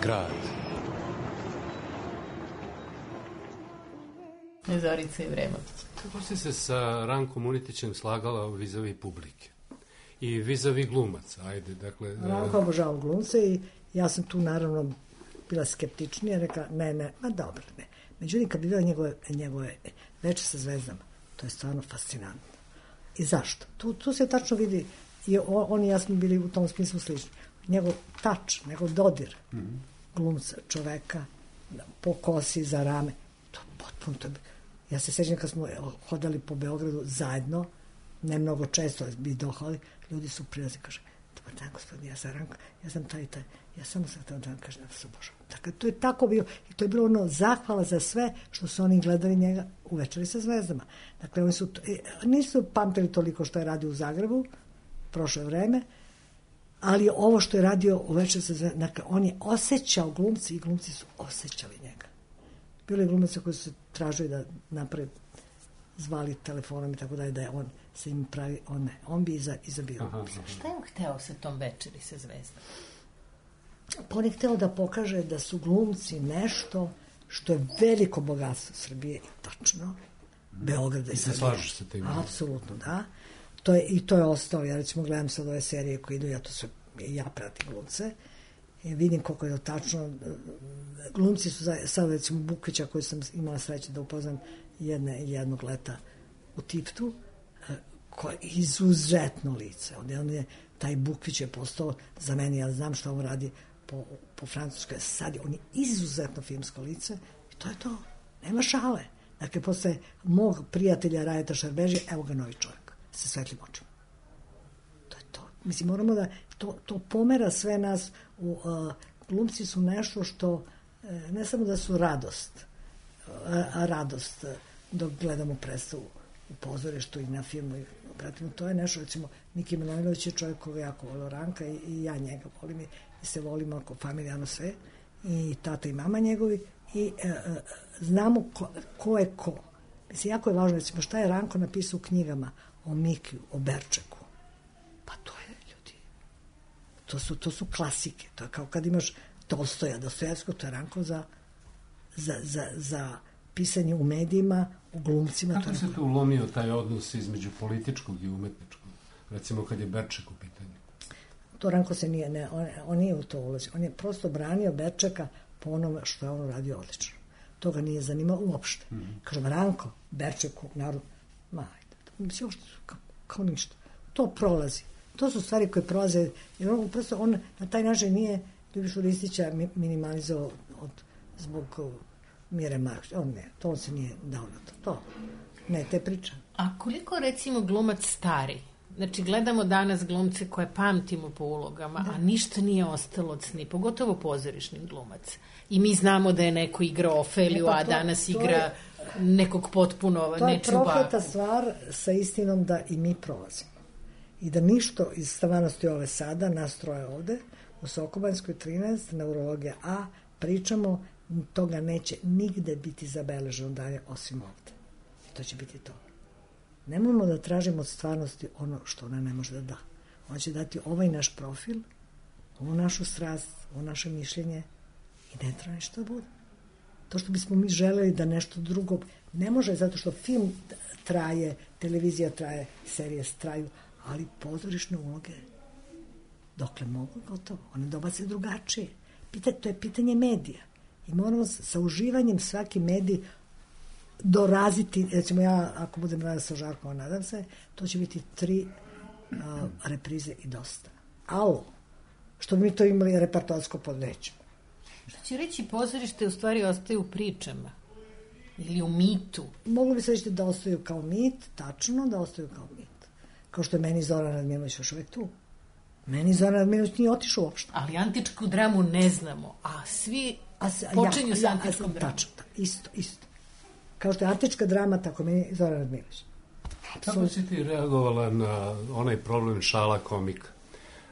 Speaker 1: grad.
Speaker 2: Zorica i Vrema.
Speaker 3: Kako si se sa Rankom Unitićem slagala vizavi publike? I vizavi glumaca, ajde, dakle...
Speaker 4: Ranko obožavao glumce i ja sam tu naravno bila skeptičnija, rekla, ne, ne, ma dobro, ne. Međutim, kad bi bila njegove, njegove Veče sa zvezdama, to je stvarno fascinantno. I zašto? Tu, tu se tačno vidi, i on, on i ja smo bili u tom smislu slični. Njegov tač, njegov dodir mm-hmm. glumca, čoveka, po kosi, za rame, to potpuno, to je... Ja se sećam kad smo hodali po Beogradu zajedno, ne mnogo često bi dohali, ljudi su prilazi, kaže, dobar dan, gospodin, ja sam Ranko, ja sam taj i taj, ja samo sam taj dan, kaže, ja se obožavam. Dakle, to je tako bilo, i to je bilo ono zahvala za sve što su oni gledali njega u Večeri sa zvezdama. Dakle, oni su, nisu pamtili toliko što je radio u Zagrebu, prošlo je vreme, ali ovo što je radio u Večeri sa zvezdama, dakle, on je osjećao glumci i glumci su osjećali njega. Bilo je glumaca koji su se tražili da naprave, zvali telefonom i tako dalje, da je on se im pravi, on ne, on bi iza, izabio.
Speaker 2: Šta je on hteo sa tom Večeri sa zvezdama?
Speaker 4: Pa on je hteo da pokaže da su glumci nešto što je veliko bogatstvo Srbije, i tačno, Beograda i
Speaker 3: se slažeš sa tim?
Speaker 4: Apsolutno, da. To je, i to je ostalo, ja recimo gledam sad ove serije koje idu, ja to sve, ja pratim glumce, i vidim koliko je to tačno. Glumci su sad recimo Bukvića, koju sam imala sreće da upoznam jedne, jednog leta u Tiptu, koje je izuzetno lice. On je, on je, taj Bukvić je postao za meni, ja znam što on radi po, po francuskoj, sad je, on je izuzetno filmsko lice i to je to. Nema šale. Dakle, posle mog prijatelja Rajeta Šarbeži, evo ga novi čovjek sa svetlim očima. To je to. Mislim, moramo da to, to pomera sve nas. U, uh, glumci su nešto što uh, ne samo da su radost, a, a radost uh, dok gledamo predstavu u pozorištu i na filmu i pratimo, to je nešto, recimo Miki Manojlović je čovjek koga jako volio Ranka i, i ja njega volim i, i se volimo ako familijarno sve i tata i mama njegovi i uh, uh, znamo ko, ko je ko. Mislim, jako je važno, recimo, šta je Ranko napisao u knjigama o Mikiju, o Berčeku. Pa to je, ljudi, to su, to su klasike. To je kao kad imaš Tolstoja, Dostojevsko, to je Ranko za, za, za, za pisanje u medijima, u glumcima.
Speaker 3: Kako
Speaker 4: to
Speaker 3: se
Speaker 4: Ranko...
Speaker 3: tu ulomio taj odnos između političkog i umetničkog? Recimo kad je Berček u pitanju.
Speaker 4: To Ranko se nije, ne, on, on nije u to ulazio. On je prosto branio Berčeka po onome što je on radio odlično. To ga nije zanimao uopšte. Mm-hmm. Kažem, Ranko, Berčeku, narod, ma, ajde, mislim, uopšte, kao, kao ništa. To prolazi. To su stvari koje prolaze, jer on prosto, on na taj način nije Ljubišu Ristića minimalizao od, zbog Mire Marković. On ne, to on se nije dao na to. To, ne, te priča.
Speaker 2: A koliko, recimo, glumac stari? Znači, gledamo danas glumce koje pamtimo po ulogama, da. A ništa nije ostalo od sni, pogotovo pozorišnih glumaca. I mi znamo da je neko igrao Ofeliju, a danas igra je, nekog potpuno nečuva.
Speaker 4: To je prokleta stvar sa istinom da i mi prolazimo. I da ništo iz stvarnosti ove sada, nas troje ovde, u Sokobanjskoj trinaest, neurologija A, pričamo, toga neće nigde biti zabeleženo dalje osim ovde. I to će biti to. Nemojmo da tražimo od stvarnosti ono što ona ne može da da. Ona će dati ovaj naš profil, ovu našu strast, ovo naše mišljenje i ne treba ništa da bude. To što bismo mi želeli da nešto drugo ne može, zato što film traje, televizija traje, serije traju, ali pozorišne uloge dokle mogu, gotovo. One dobace drugačije. Pita, to je pitanje medija. I moramo sa uživanjem svaki medij doraziti, recimo ja, ako budem radila sa Žarkom, nadam se, to će biti tri uh, reprize i dosta. Alo, što bi mi to imali repertoarsko podnećemo.
Speaker 2: Što će reći, pozorište u stvari ostaje u pričama ili u mitu?
Speaker 4: Moglo bi se reći da ostaju kao mit, tačno da ostaju kao mit. Kao što je meni Zoran Radmilović još uvek tu. Meni Zoran Radmilović nije otišao uopšte.
Speaker 2: Ali antičku dramu ne znamo, a svi a se, počinju ja, sa antičkom ja, dramom.
Speaker 4: Tačno, isto, isto. Kao što je antička drama, tako meni Zoran Radmilović.
Speaker 3: Kako si ti reagovala na onaj problem šala komika?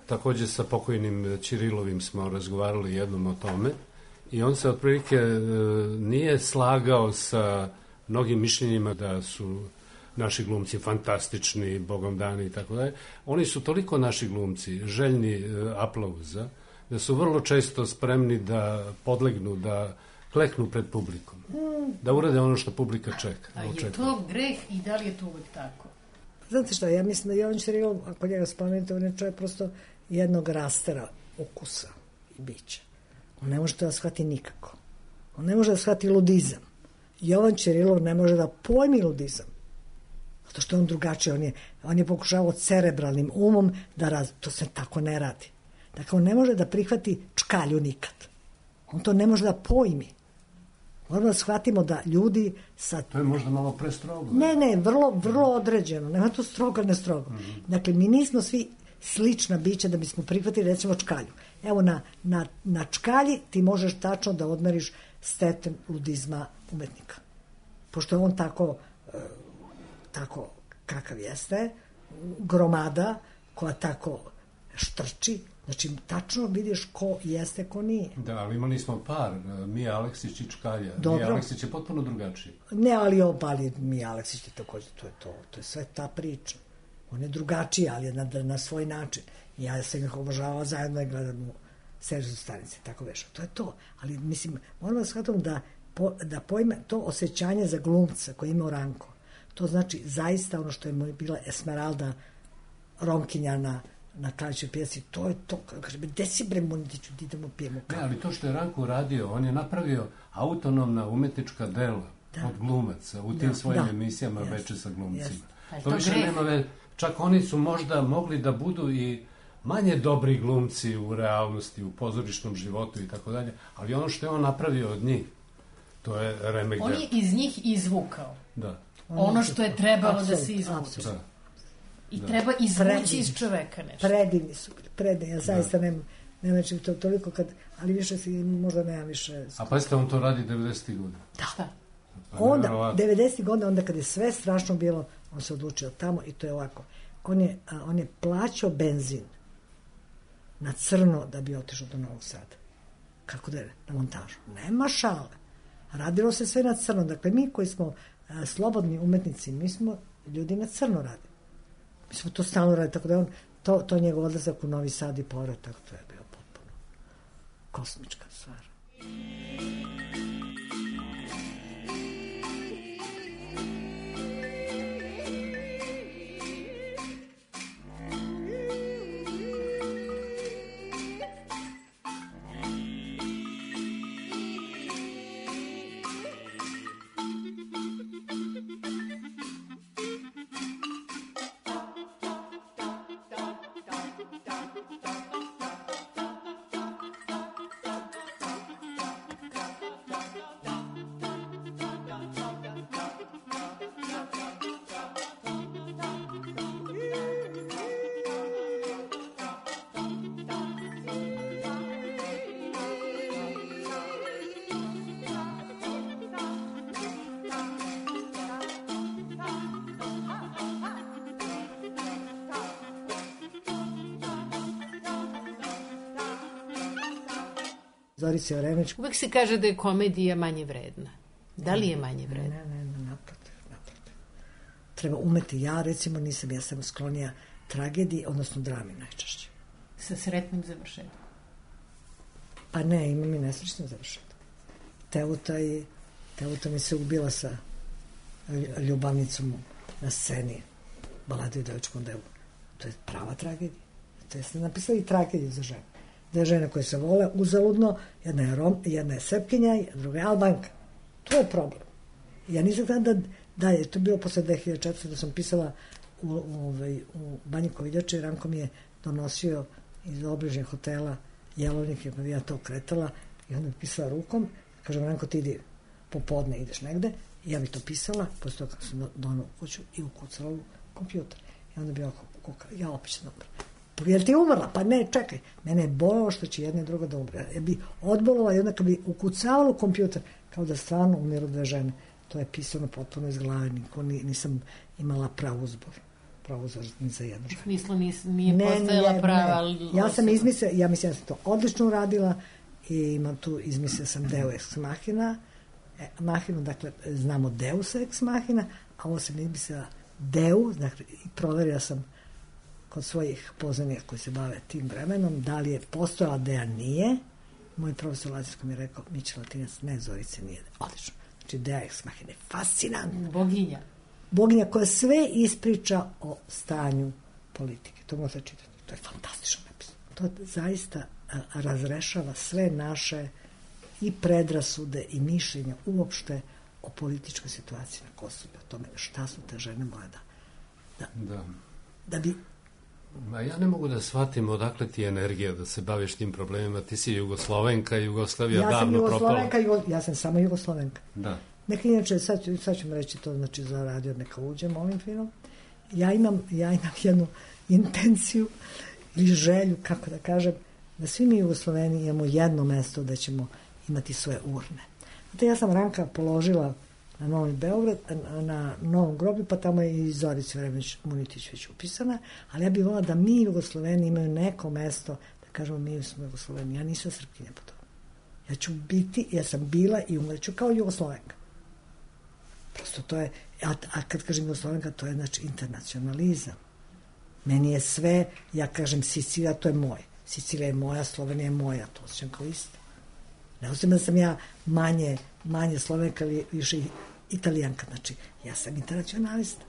Speaker 3: Takođe sa pokojnim Ćirilovim smo razgovarali jednom o tome i on se otprilike nije slagao sa mnogim mišljenjima da su naši glumci fantastični, bogom dani i tako dalje. Oni su toliko naši glumci, željni aplauza, da su vrlo često spremni da podlegnu, da kleknu pred publikom, da urade ono što publika čeka.
Speaker 2: A je to greh i da li je to uvek tako?
Speaker 4: Znate što, ja mislim da Jovan Ćirilov, ako njega spomenete, on je čovjek prosto jednog rastera ukusa i bića. On ne može to da shvati nikako. On ne može da shvati ludizam. Jovan Ćirilov ne može da pojmi ludizam. Zato što je on drugačiji. On je, on je pokušavao cerebralnim umom da raz... To se tako ne radi. Dakle, on ne može da prihvati čkalju nikad. On to ne može da pojmi. Moramo da shvatimo da ljudi sa...
Speaker 3: To je možda malo prestrogo.
Speaker 4: Ne, ne, vrlo, vrlo određeno. Nema to strogo, ne strogo. Mm-hmm. Dakle, mi nismo svi slična bića da bismo prihvatili, recimo, čkalju. Evo, na, na, na čkalji ti možeš tačno da odmeriš stepen ludizma umetnika. Pošto je on tako, tako kakav jeste, gromada koja tako štrči, znači tačno vidiš ko jeste, ko nije.
Speaker 3: Da, ali imali smo par, Mija Aleksić i čkalja.
Speaker 4: Dobro.
Speaker 3: Mija Aleksić je potpuno drugačiji.
Speaker 4: Ne, ali obali Mija Aleksić je takođe, to je to, to je sve ta priča. On je drugačiji, ali je na, na svoj način. Ja sam ih obožavala zajedno i gledam u Sežu stanice, tako veša. To je to. Ali, mislim, moram da shvatam da, po, da pojme to osjećanje za glumca koji ima Ranko. To znači zaista ono što je bila Esmeralda Romkinja na, na Kraljićoj pjesi. To je to. Kaže, gde si bre Munitiću, ti idemo pijemo kavu.
Speaker 3: Ne, ali to što je Ranko radio, on je napravio autonomna umetnička dela da. Od glumaca u tim da, svojim da. emisijama yes. Veče sa glumcima. Yes. To, to više greh. Nema ve... Čak oni su možda mogli da budu i manje dobri glumci u realnosti, u pozorišnom životu i tako dalje, ali ono što je on napravio od njih, to je remek dela.
Speaker 2: On je iz njih izvukao.
Speaker 3: Da.
Speaker 2: Ono što je trebalo absolut, da se izvuče. Da. I da. Treba izvući predivni. Iz čoveka nešto.
Speaker 4: Predivni su bili, predivni. Ja zaista da. nemam, nemam to toliko kad, ali više si, možda nemam više.
Speaker 3: A pa jeste, on to radi devedesetih godina.
Speaker 4: Da. Šta? Onda, devedesetih godina, onda kad je sve strašno bilo, on se odlučio tamo i to je ovako. On je, on je plaćao benzin na crno da bi otišao do Novog Sada. Kako da je? Na montažu. Nema šale. Radilo se sve na crno. Dakle, mi koji smo a, slobodni umetnici, mi smo ljudi na crno radili. Mi smo to stalno radili, tako da on, to, to njegov odlazak u Novi Sad i povratak, to je bio potpuno kosmička stvar. Zorica Jeremić.
Speaker 2: Uvek se kaže da je komedija manje vredna. Da li je manje vredna?
Speaker 4: Ne, ne, ne, naprotiv, naprotiv. Treba umeti. Ja, recimo, nisam, ja sam sklonija tragediji, odnosno drami najčešće.
Speaker 2: Sa sretnim završetom?
Speaker 4: Pa ne, imam i nesrećnim završetom. Teuta, i, Teuta mi se ubila sa ljubavnicom na sceni Balade u devičkom delu. To je prava tragedija. To je napisali i tragediju za ženu. Dve žene koje se vole uzaludno, jedna je Rom, jedna je Srpkinja, a druga je Albanka. To je problem. Ja nisam tada da, da je to bilo posle dve hiljade četvrte da sam pisala u, u, u Banji Koviljače i Ranko mi je donosio iz obližnjeg hotela Jelovnik, jer ja to kretala i onda mi pisala rukom, kažem, Ranko, ti idi popodne, ideš negde, i ja bi to pisala, posle toga sam donao u kuću i ukucala u kompjuter. I onda bi oko kukala, ja opet sam dobro. Jel ti umrla? Pa ne, čekaj. Mene je bolilo što će jedna i druga da umre. Ja bi odbolila i onda kad bi ukucavala u kompjuter, kao da stvarno umiru dve žene. To je pisano potpuno iz glave. Niko, nisam imala pravu zbor. Pravu zbor ni za jednu ženu.
Speaker 2: Smislu nis, nije ne, postojala nije, prava.
Speaker 4: Ne. Ja sam izmislila, ja mislim da sam to odlično uradila i imam tu, izmislila sam Deo ex machina. E, mahinu, dakle, znamo Deus ex machina, a ovo sam izmislila Deu, dakle, i proverila sam kod svojih poznanika koji se bave tim vremenom, da li je postojala Deja nije. Moj profesor latinskog mi je rekao, Miće Latinac, ne, Zorice nije. Odlično. Znači, Deja ex machina je fascinantna.
Speaker 2: Boginja.
Speaker 4: Boginja koja sve ispriča o stanju politike. To možete čitati. To je fantastično napisano. To zaista a, razrešava sve naše i predrasude i mišljenja uopšte o političkoj situaciji na Kosovu i o tome šta su te žene moje da da,
Speaker 3: da.
Speaker 4: da bi
Speaker 3: Ma ja ne mogu da shvatim odakle ti je energija da se baviš tim problemima. Ti si Jugoslovenka, Jugoslavija
Speaker 4: ja
Speaker 3: davno propala.
Speaker 4: Jugoslovenka, Jugo, ja sam samo Jugoslovenka.
Speaker 3: Da.
Speaker 4: Neka inače, sad, sad ću mi reći to, znači za radio neka uđem ovim filmom. Ja imam, ja imam jednu intenciju ili želju, kako da kažem, da svi mi Jugosloveni imamo jedno mesto da ćemo imati svoje urne. Znate, ja sam Ranka položila na Novi Beograd, na, na Novom groblju, pa tamo je i Zorica Vremeć Munitić već upisana, ali ja bih volila da mi Jugosloveni imaju neko mesto, da kažemo mi smo Jugosloveni. Ja nisam Srpkinja po tomu. Ja ću biti, ja sam bila i umreću kao Jugoslovenka. Prosto to je, a, a kad kažem Jugoslovenka, to je znači internacionalizam. Meni je sve, ja kažem Sicilija, to je moje. Sicilija je moja, Slovenija je moja, to osjećam kao isto. Ne osjećam da sam ja manje, manje Slovenka ili više Italijanka, znači ja sam internacionalista.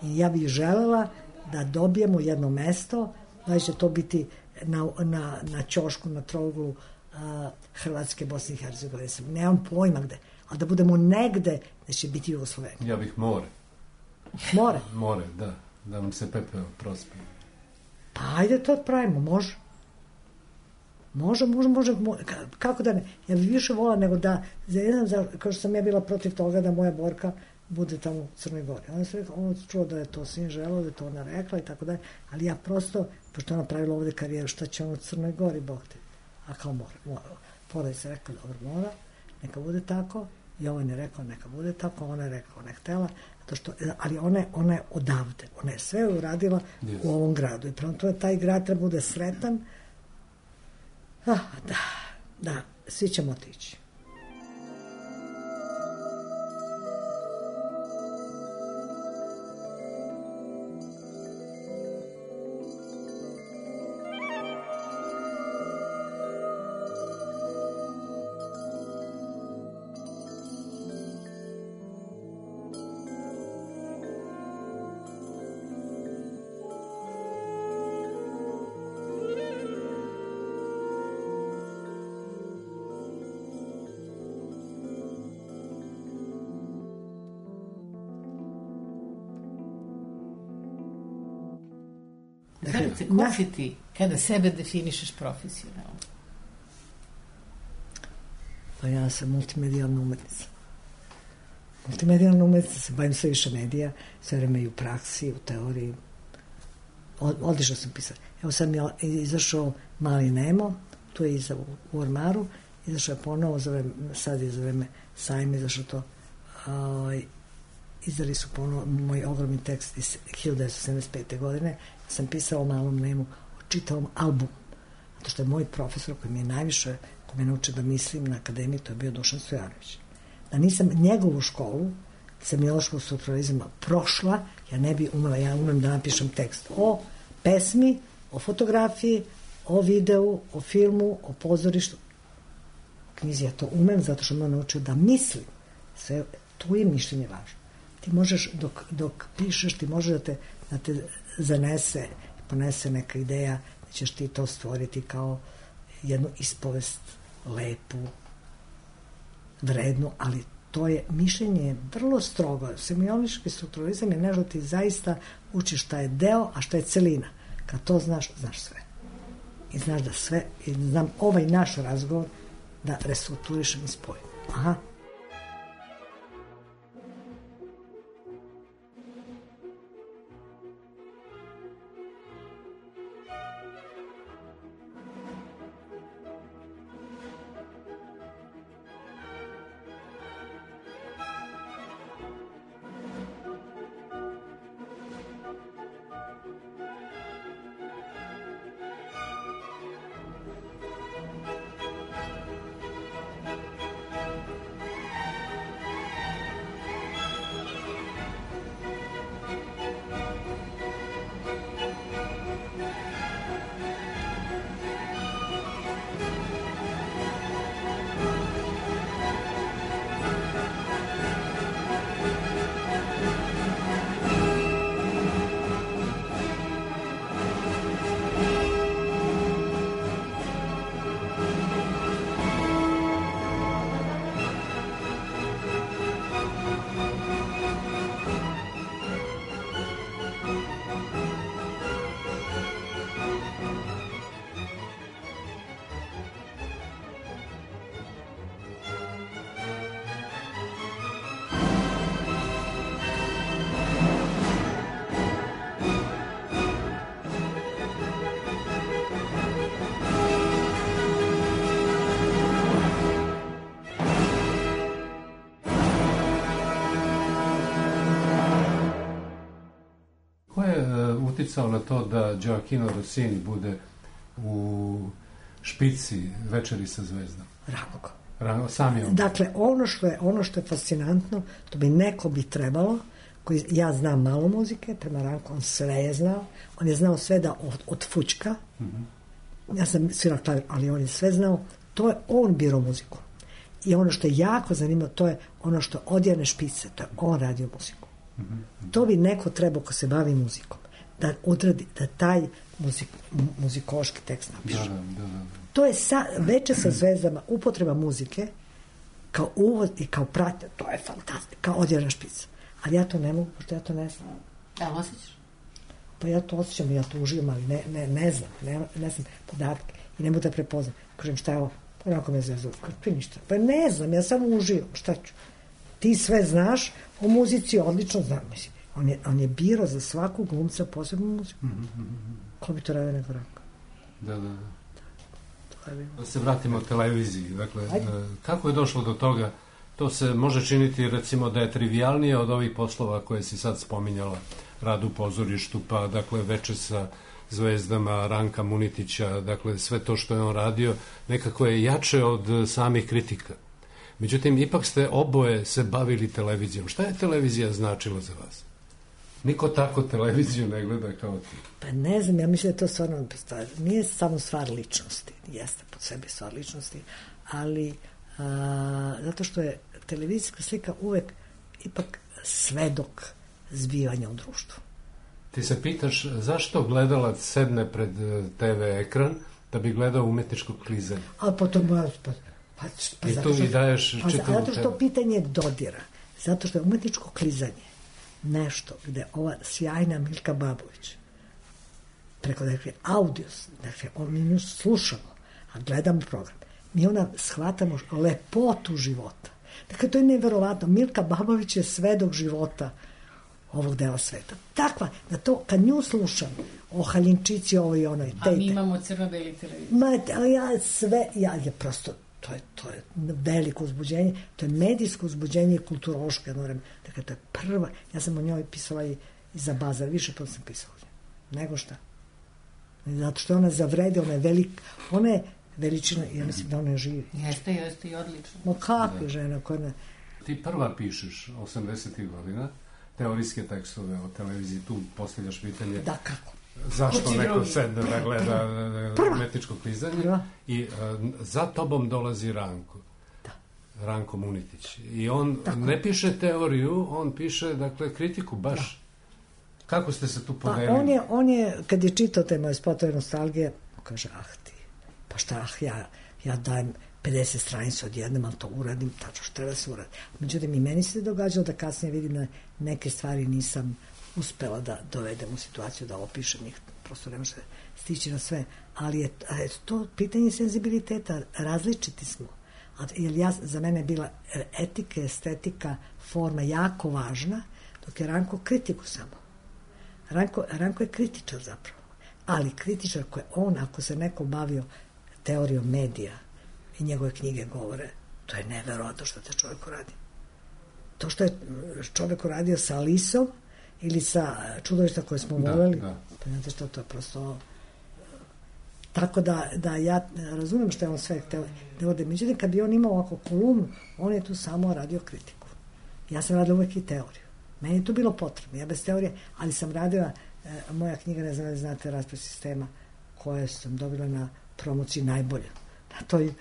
Speaker 4: I ja bih želela da dobijemo jedno mesto, da će to biti na, na, na ćošku, na trouglu a, Hrvatske, Bosne i Hercegovine. Nemam pojma gde, ali da budemo negde da će biti Jugoslovenija.
Speaker 3: Ja bih more.
Speaker 4: More?
Speaker 3: More, da. Da vam se pepeo prospe.
Speaker 4: Pa ajde to pravimo, može. Može, može, može, može. Kako da ne? Ja bih više volila nego da, ne znam, kao što sam ja bila protiv toga da moja Borka bude tamo u Crnoj Gori. Ona se rekla, ona čuo da je to sin želao, da je to ona rekla i tako dalje, ali ja prosto, pošto ona pravila ovde karijeru, šta će ona u Crnoj Gori, Bog te. A kao mora, mora. Poraj se rekla, dobro, mora, neka bude tako. Jovan je rekao, neka bude tako, ona je rekao, ne htela, to što, ali ona je, ona je odavde, ona je sve uradila yes. u ovom gradu i prema tome taj grad treba bude sretan. Ah, da, da, svi ćemo otići.
Speaker 2: Zorice, ko si ti kada sebe definišeš profesionalno?
Speaker 4: Pa ja sam multimedijalna umetnica. Multimedijalna umetnica, se bavim sve više medija, sve vreme i u praksi, u teoriji. Od, odlično sam pisala. Evo sad mi je izašao Mali Nemo, tu je iza u Ormaru, izašao je ponovo, za vreme, sad je za vreme sajma izašao to, uh, izdali su ponovo moj ogromni tekst iz hiljadu devetsto sedamdeset pete. godine. Sam pisala o Malom Nemu, o čitavom albumu. Zato što je moj profesor koji mi je najviše, koji me naučio da mislim na akademiji, to je bio Dušan Stojanović. Da nisam njegovu školu, semiološkog strukturalizma, prošla, ja ne bi umela, ja umem da napišem tekst o pesmi, o fotografiji, o videu, o filmu, o pozorištu. U knjizi ja to umem zato što me naučio da mislim. Sve, tu je mišljenje važno. Ti možeš, dok, dok pišeš, ti možeš da te, da te zanese, ponese neka ideja da ćeš ti to stvoriti kao jednu ispovest lepu, vrednu, ali to je mišljenje vrlo strogo. Semiološki strukturalizam je nešto ti zaista učiš šta je deo, a šta je celina. Kad to znaš, znaš sve. I znaš da sve, i znam ovaj naš razgovor da restrukturišem i spojim. Aha.
Speaker 3: uticao na to da Gioacchino Rossini bude u špici Večeri sa zvezdom?
Speaker 4: Ranko.
Speaker 3: Ranko, sam je on.
Speaker 4: Dakle, ono što je, ono što je fascinantno, to bi neko bi trebalo, koji, ja znam malo muzike, prema Ranku, on sve je znao, on je znao sve da od, od fučka, mm-hmm. ja sam svirao klavir, ali on je sve znao, to je on birao muziku. I ono što je jako zanimljivo, to je ono što odjene špice, to je on radio muziku. Mm-hmm. To bi neko trebao ko se bavi muzikom, da odradi, da taj muzik, muzikološki tekst napiše.
Speaker 3: Da, da, da, da.
Speaker 4: To je sa, Veče sa zvezdama, upotreba muzike kao uvod i kao pratnja, to je fantastično, kao odjena špica. Ali ja to ne mogu, pošto ja to ne znam.
Speaker 2: Da, osjećaš?
Speaker 4: Pa ja to osjećam, ja to uživam, ali ne, ne, ne znam, ne, ne znam podatke i ne mogu da prepoznam. Kažem, šta je ovo? Pa onako me zvezu, pa ništa. Pa ne znam, ja samo uživam, šta ću? Ti sve znaš, o muzici odlično znam, mislim. On je, on je birao za svakog glumca posebnu muziku. Mm-hmm. Ko bi to radio nego Ranko?
Speaker 3: Da, da, da. Da se vratimo televiziji. Dakle, Ajde. kako je došlo do toga? To se može činiti, recimo, da je trivialnije od ovih poslova koje si sad spominjala, rad u pozorištu, pa, dakle, Veče sa zvezdama, Ranka Munitića, dakle, sve to što je on radio, nekako je jače od samih kritika. Međutim, ipak ste oboje se bavili televizijom. Šta je televizija značila za vas? Niko tako televiziju ne gleda kao ti.
Speaker 4: Pa ne znam, ja mislim da to stvarno nije samo stvar ličnosti, jeste po sebi stvar ličnosti, ali a, zato što je televizijska slika uvek ipak svedok zbivanja u društvu.
Speaker 3: Ti se pitaš zašto gledalac sedne pred te ve ekran da bi gledao umetničko klizanje?
Speaker 4: A potom pa, pa, pa
Speaker 3: i tu i daješ
Speaker 4: pa,
Speaker 3: čitavu
Speaker 4: zato što pitanje dodira, zato što je umetničko klizanje nešto gde ova sjajna Milka Babović preko dakle audio, dakle mi nju slušamo, a gledamo program, mi ona shvatamo lepotu života. Dakle, to je neverovatno. Milka Babović je svedok života ovog dela sveta. Takva, da to, kad nju slušam, o Haljinčici, ovo i ono i te.
Speaker 2: A mi imamo crno-beli televizor.
Speaker 4: Ma, ja sve, ja je prosto, to je, to je veliko uzbuđenje, to je medijsko uzbuđenje i kulturološko, ja moram, dakle, to je prva, ja sam o njoj pisala i, i za Bazar, više puta sam pisala o njoj. Nego šta? Zato što ona zavrede, ona je velika, ona je veličina, ja mislim da ona živi.
Speaker 2: Jeste, jeste i odlično.
Speaker 4: No kakva žena koja ne...
Speaker 3: Ti prva pišeš osamdesetih godina, teorijske tekstove o televiziji, tu postavljaš pitanje...
Speaker 4: Da, kako?
Speaker 3: Zašto neko sedne da gleda umetničko klizanje? Prva. I uh, za tobom dolazi Ranko.
Speaker 4: Da.
Speaker 3: Ranko Munitić. I on Tako. ne piše teoriju, on piše, dakle, kritiku baš. Da. Kako ste se tu podelili?
Speaker 4: Pa on je, on je, kad je čitao te moje spotove nostalgije, kaže, ah ti, pa šta, ah, ja, ja dajem pedeset stranica odjednom, ali to uradim, tačno što treba se uradi. Međutim, i meni se događalo da kasnije vidim da neke stvari nisam uspela da dovedem u situaciju da opišem ih, prosto ne može stići na sve, ali je, je to pitanje senzibiliteta, različiti smo. A, jer ja, za mene je bila etika, estetika, forma jako važna, dok je Ranko kritiku samo. Ranko, Ranko je kritičar zapravo, ali kritičar koji on, ako se neko bavio teorijom medija i njegove knjige govore, to je neverovatno što te čovjek uradi. To što je čovjek uradio sa Alisom ili sa Čudovišta koje smo da, voljeli, da. Pa znate što, to je prosto... Tako da, da ja razumijem što je on sve hteo da ode. Međutim, kad bi on imao ovako kolumnu, on je tu samo radio kritiku. Ja sam radila uvek i teoriju. Meni je to bilo potrebno. Ja bez teorije, ali sam radila, e, moja knjiga, ne znam da znate, Raspad sistema, koje sam dobila na promociji najbolje. Na toj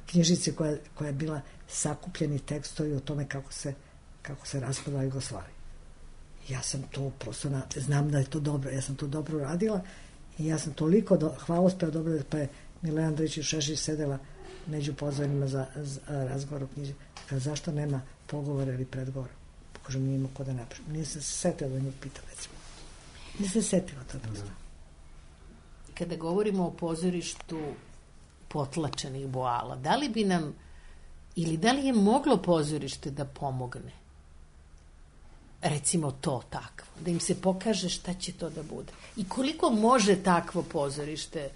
Speaker 4: knjižici koja, koja je bila sakupljeni tekstovi o tome kako se, kako se raspada Jugoslavija. Ja sam to prosto, na, znam da je to dobro, ja sam to dobro radila i ja sam toliko do, hvalospeva dobro, pa je Milena Andrić i Šešić sedela među pozvanjima za, za razgovor o knjiži. Kada zašto nema pogovora ili predgovora? Kažem, nije imao ko da napišem. Nije se setila da nju pitam, recimo. Nije se setila to prosto.
Speaker 2: Kada govorimo o pozorištu potlačenih boala, da li bi nam, ili da li je moglo pozorište da pomogne? Recimo to takvo. Da im se pokaže šta će to da bude. I koliko može takvo pozorište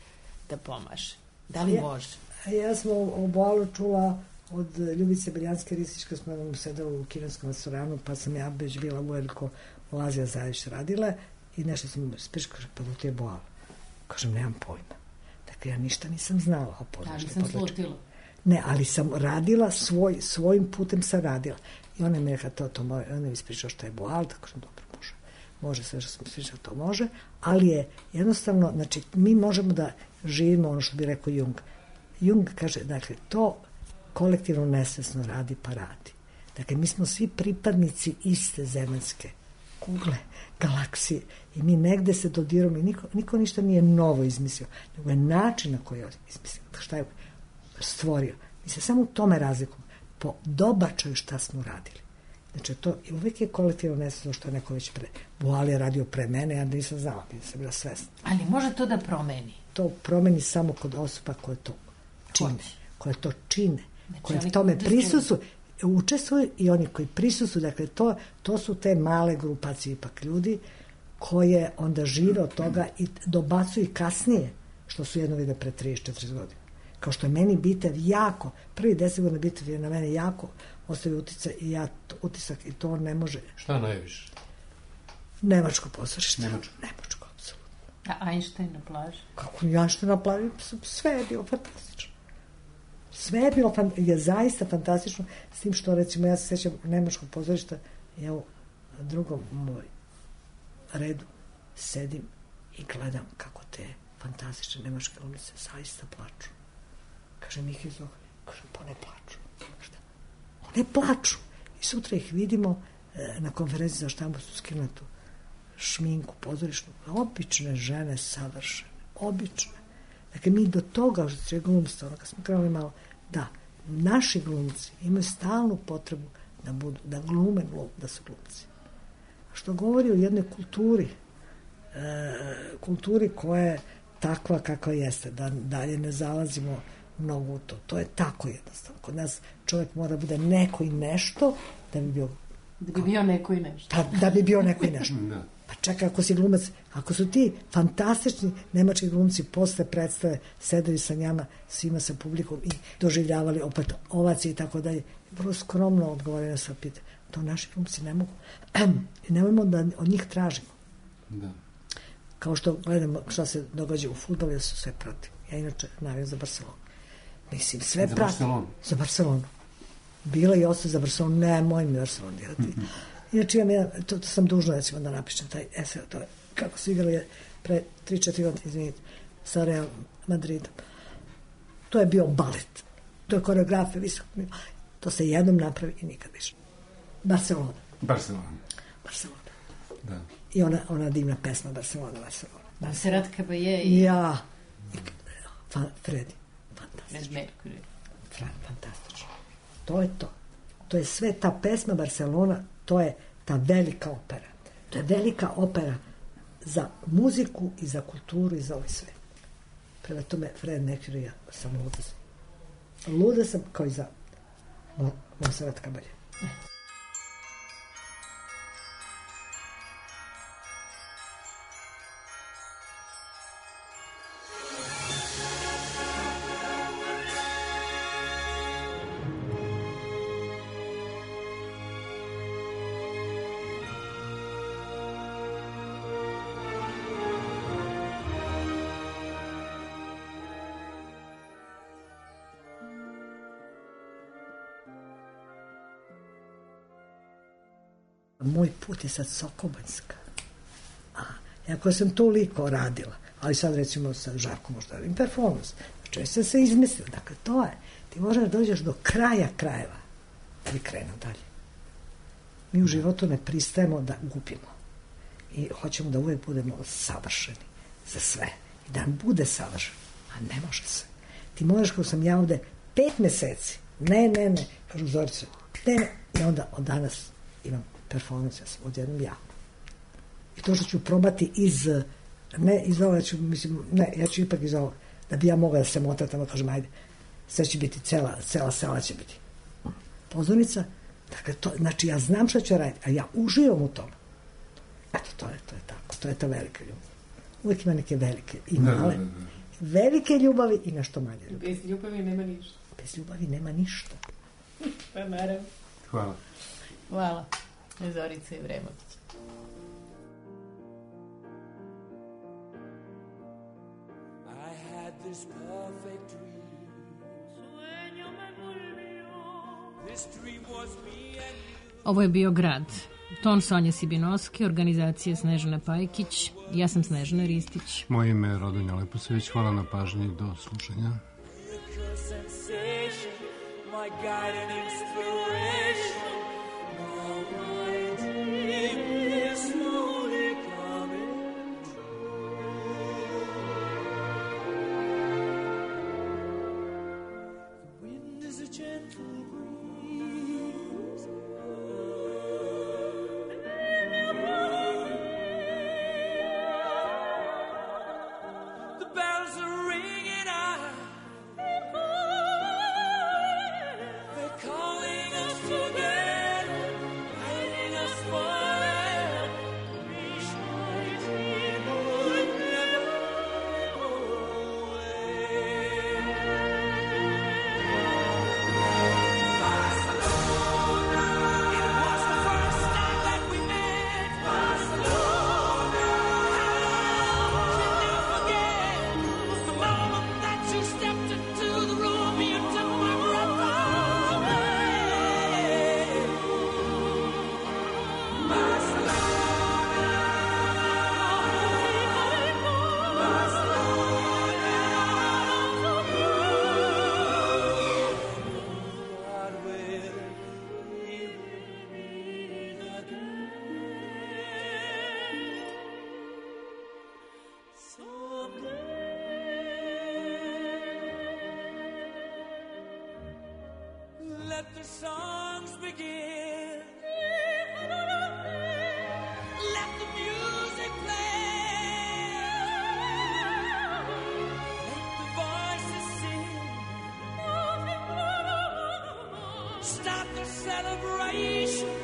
Speaker 2: da pomaže? Da li
Speaker 4: ja,
Speaker 2: može?
Speaker 4: Ja sam o boalu čula od Ljubice Beljanske Ristić, kad smo sedeli u kineskom restoranu, pa sam ja već bila uveliko u Azija Zavić radila i nešto sam ispričao, kaže, pa to ti je boal. Kažem, nemam pojma. Dakle, ja ništa nisam znala o pozorištu.
Speaker 2: Ali sam slutila.
Speaker 4: Ne, ali sam radila svoj, svojim putem sam radila. I ona mi je rekla, to, to mora, ona mi ispričao što je boal, tako kažem, dobro, može. Može sve što sam ispričao, to može, ali je jednostavno, znači, mi možemo da živimo ono što bi rekao Jung. Jung kaže, dakle, to kolektivno nesvesno radi pa radi. Dakle, mi smo svi pripadnici iste zemaljske kugle, galaksije i mi negde se dodiramo i niko, niko ništa nije novo izmislio, nego je način na koji je izmislio, šta je stvorio. Mi se samo u tome razlikujemo, po dobačaju šta smo radili. Znači, to uvijek je kolektivno nesvesno što je neko već pre... Boal je radio pre mene, ja nisam znala, nisam bila svesna.
Speaker 2: Ali može to da promeni?
Speaker 4: To promeni samo kod osoba koje to čine. Koje to čine. Znači, koje v tome prisustuju. Učestvuju i oni koji prisustuju. Dakle, to, to su te male grupacije ipak ljudi koje onda žive od toga i dobacuju kasnije što su jedno vide pre trideset četrdeset godina. Kao što je meni Bitev jako, prvi deset godina Bitev je na mene jako ostavio utisak i ja utisak i to ne može.
Speaker 3: Šta najviše?
Speaker 4: Nemačko pozorište.
Speaker 3: Nemačko.
Speaker 4: Nemačko, apsolutno.
Speaker 2: A Einstein na plaži?
Speaker 4: Kako Einstein na plaži? Sve je bilo fantastično. Sve je bilo fan, je zaista fantastično, s tim što, recimo, ja se sjećam Nemačkog pozorišta, ja u drugom moj redu sedim i gledam kako te fantastične nemačke glumice zaista plaču. Kaže Mihajl Zohar, kaže, pa ne plaču. Šta? One plaču. I sutra ih vidimo e, na konferenciji za štampu su skinuli tu šminku pozorišnu. Obične žene, savršene. Obične. Dakle, mi do toga, što je glumstvo, ono kad smo krenuli malo, da, naši glumci imaju stalnu potrebu da budu, da glume glum, da su glumci. Što govori o jednoj kulturi, e, kulturi koja je takva kakva jeste, da dalje ne zalazimo mnogo u to. To je tako jednostavno. Kod nas čovjek mora bude neko i nešto da bi bio...
Speaker 2: Da bi bio neko i nešto.
Speaker 4: Da, da bi bio neko i nešto. Pa čekaj, ako si glumac, ako su ti fantastični nemački glumci posle predstave sedeli sa njama, svima sa publikom i doživljavali opet ovacije i tako dalje, vrlo skromno odgovorili na sva pitanja. To naši glumci ne mogu. I nemojmo da od njih tražimo.
Speaker 3: Da.
Speaker 4: Kao što gledamo šta se događa u fudbalu, ja su sve pratim. Ja inače navijam za Barcelonu. Mislim, sve
Speaker 3: za
Speaker 4: pratim.
Speaker 3: Barcelonu?
Speaker 4: Za Barcelonu. Bila i ostaje za Barcelonu, ne, moj mi Barcelonu dirati. Mm-hmm. Inače, imam jedan, to, to sam dužna, recimo, da napišem taj esej, to je kako su igrali pre tri četiri godine, izvinite, sa Real Madridom. To je bio balet. To je koreografija, visok. To se jednom napravi i nikad više. Barcelona.
Speaker 3: Barcelona.
Speaker 4: Barcelona.
Speaker 3: Da.
Speaker 4: I ona, ona divna pesma Barcelona, Barcelona.
Speaker 2: Serrat Caballé i...
Speaker 4: Ja. I, fa, Fredi. Fantastično.
Speaker 2: Mercury.
Speaker 4: Fantastično. To je to. To je sve ta pesma Barcelona, to je ta velika opera. To je velika opera za muziku i za kulturu i za ovaj sve. Prema tome, Fred Mercury, ja sam luda sam. Luda sam kao i za Serrat Caballé. Moj put je sad Sokobanjska. A, jako sam toliko radila, ali sad recimo sa Žarkom možda radim performans. Znači, sam se izmislila. Dakle, to je. Ti možeš da dođeš do kraja krajeva da bi krenuo dalje. Mi u životu ne pristajemo da gubimo. I hoćemo da uvijek budemo savršeni za sve. I da nam bude savršen. A ne može se. Ti možeš, kao sam ja ovde, pet meseci. Ne, ne, ne. Kažu Zorice. Ne, ne. I onda od danas imam performans, ja sam odjednom ja. I to što ću probati iz, ne iz ovoga ću, mislim, ne, ja ću ipak iz ovoga, da bi ja mogla da se motatam, da kažem, ajde, sve će biti, cela, cela sala će biti pozornica, dakle, to, znači ja znam šta ću raditi, a ja uživam u tome. Eto, to je, to je tako, to je ta velika ljubav. Uvijek ima neke velike i male, ne, ne, ne. velike ljubavi i nešto manje ljubavi.
Speaker 2: Bez ljubavi nema ništa.
Speaker 4: Bez ljubavi nema ništa.
Speaker 2: Pa naravno.
Speaker 3: Hvala.
Speaker 2: Hvala. Zorica Ivremović.
Speaker 1: this perfect dream. This dream was me and you.
Speaker 2: Ovo je bio Grad. Ton Sonja Sibinoske, organizacija Snežana Pajkić. Ja sam Snežana Ristić.
Speaker 5: Moje ime je Rodonja Leposević. Hvala na pažnji. Do slušanja.
Speaker 1: My guiding inspiration, now my dream is slowly coming true. The wind is a gentle breeze, the bells are ringing out. Calling us together, guiding us forever. Reach my dream would never go away. Barcelona, it was the first time that we met. Barcelona, how can I forget the moment that you stepped into the room? You took my breath away. Let the songs begin. Let the music play. Let the voices sing. Start the celebration.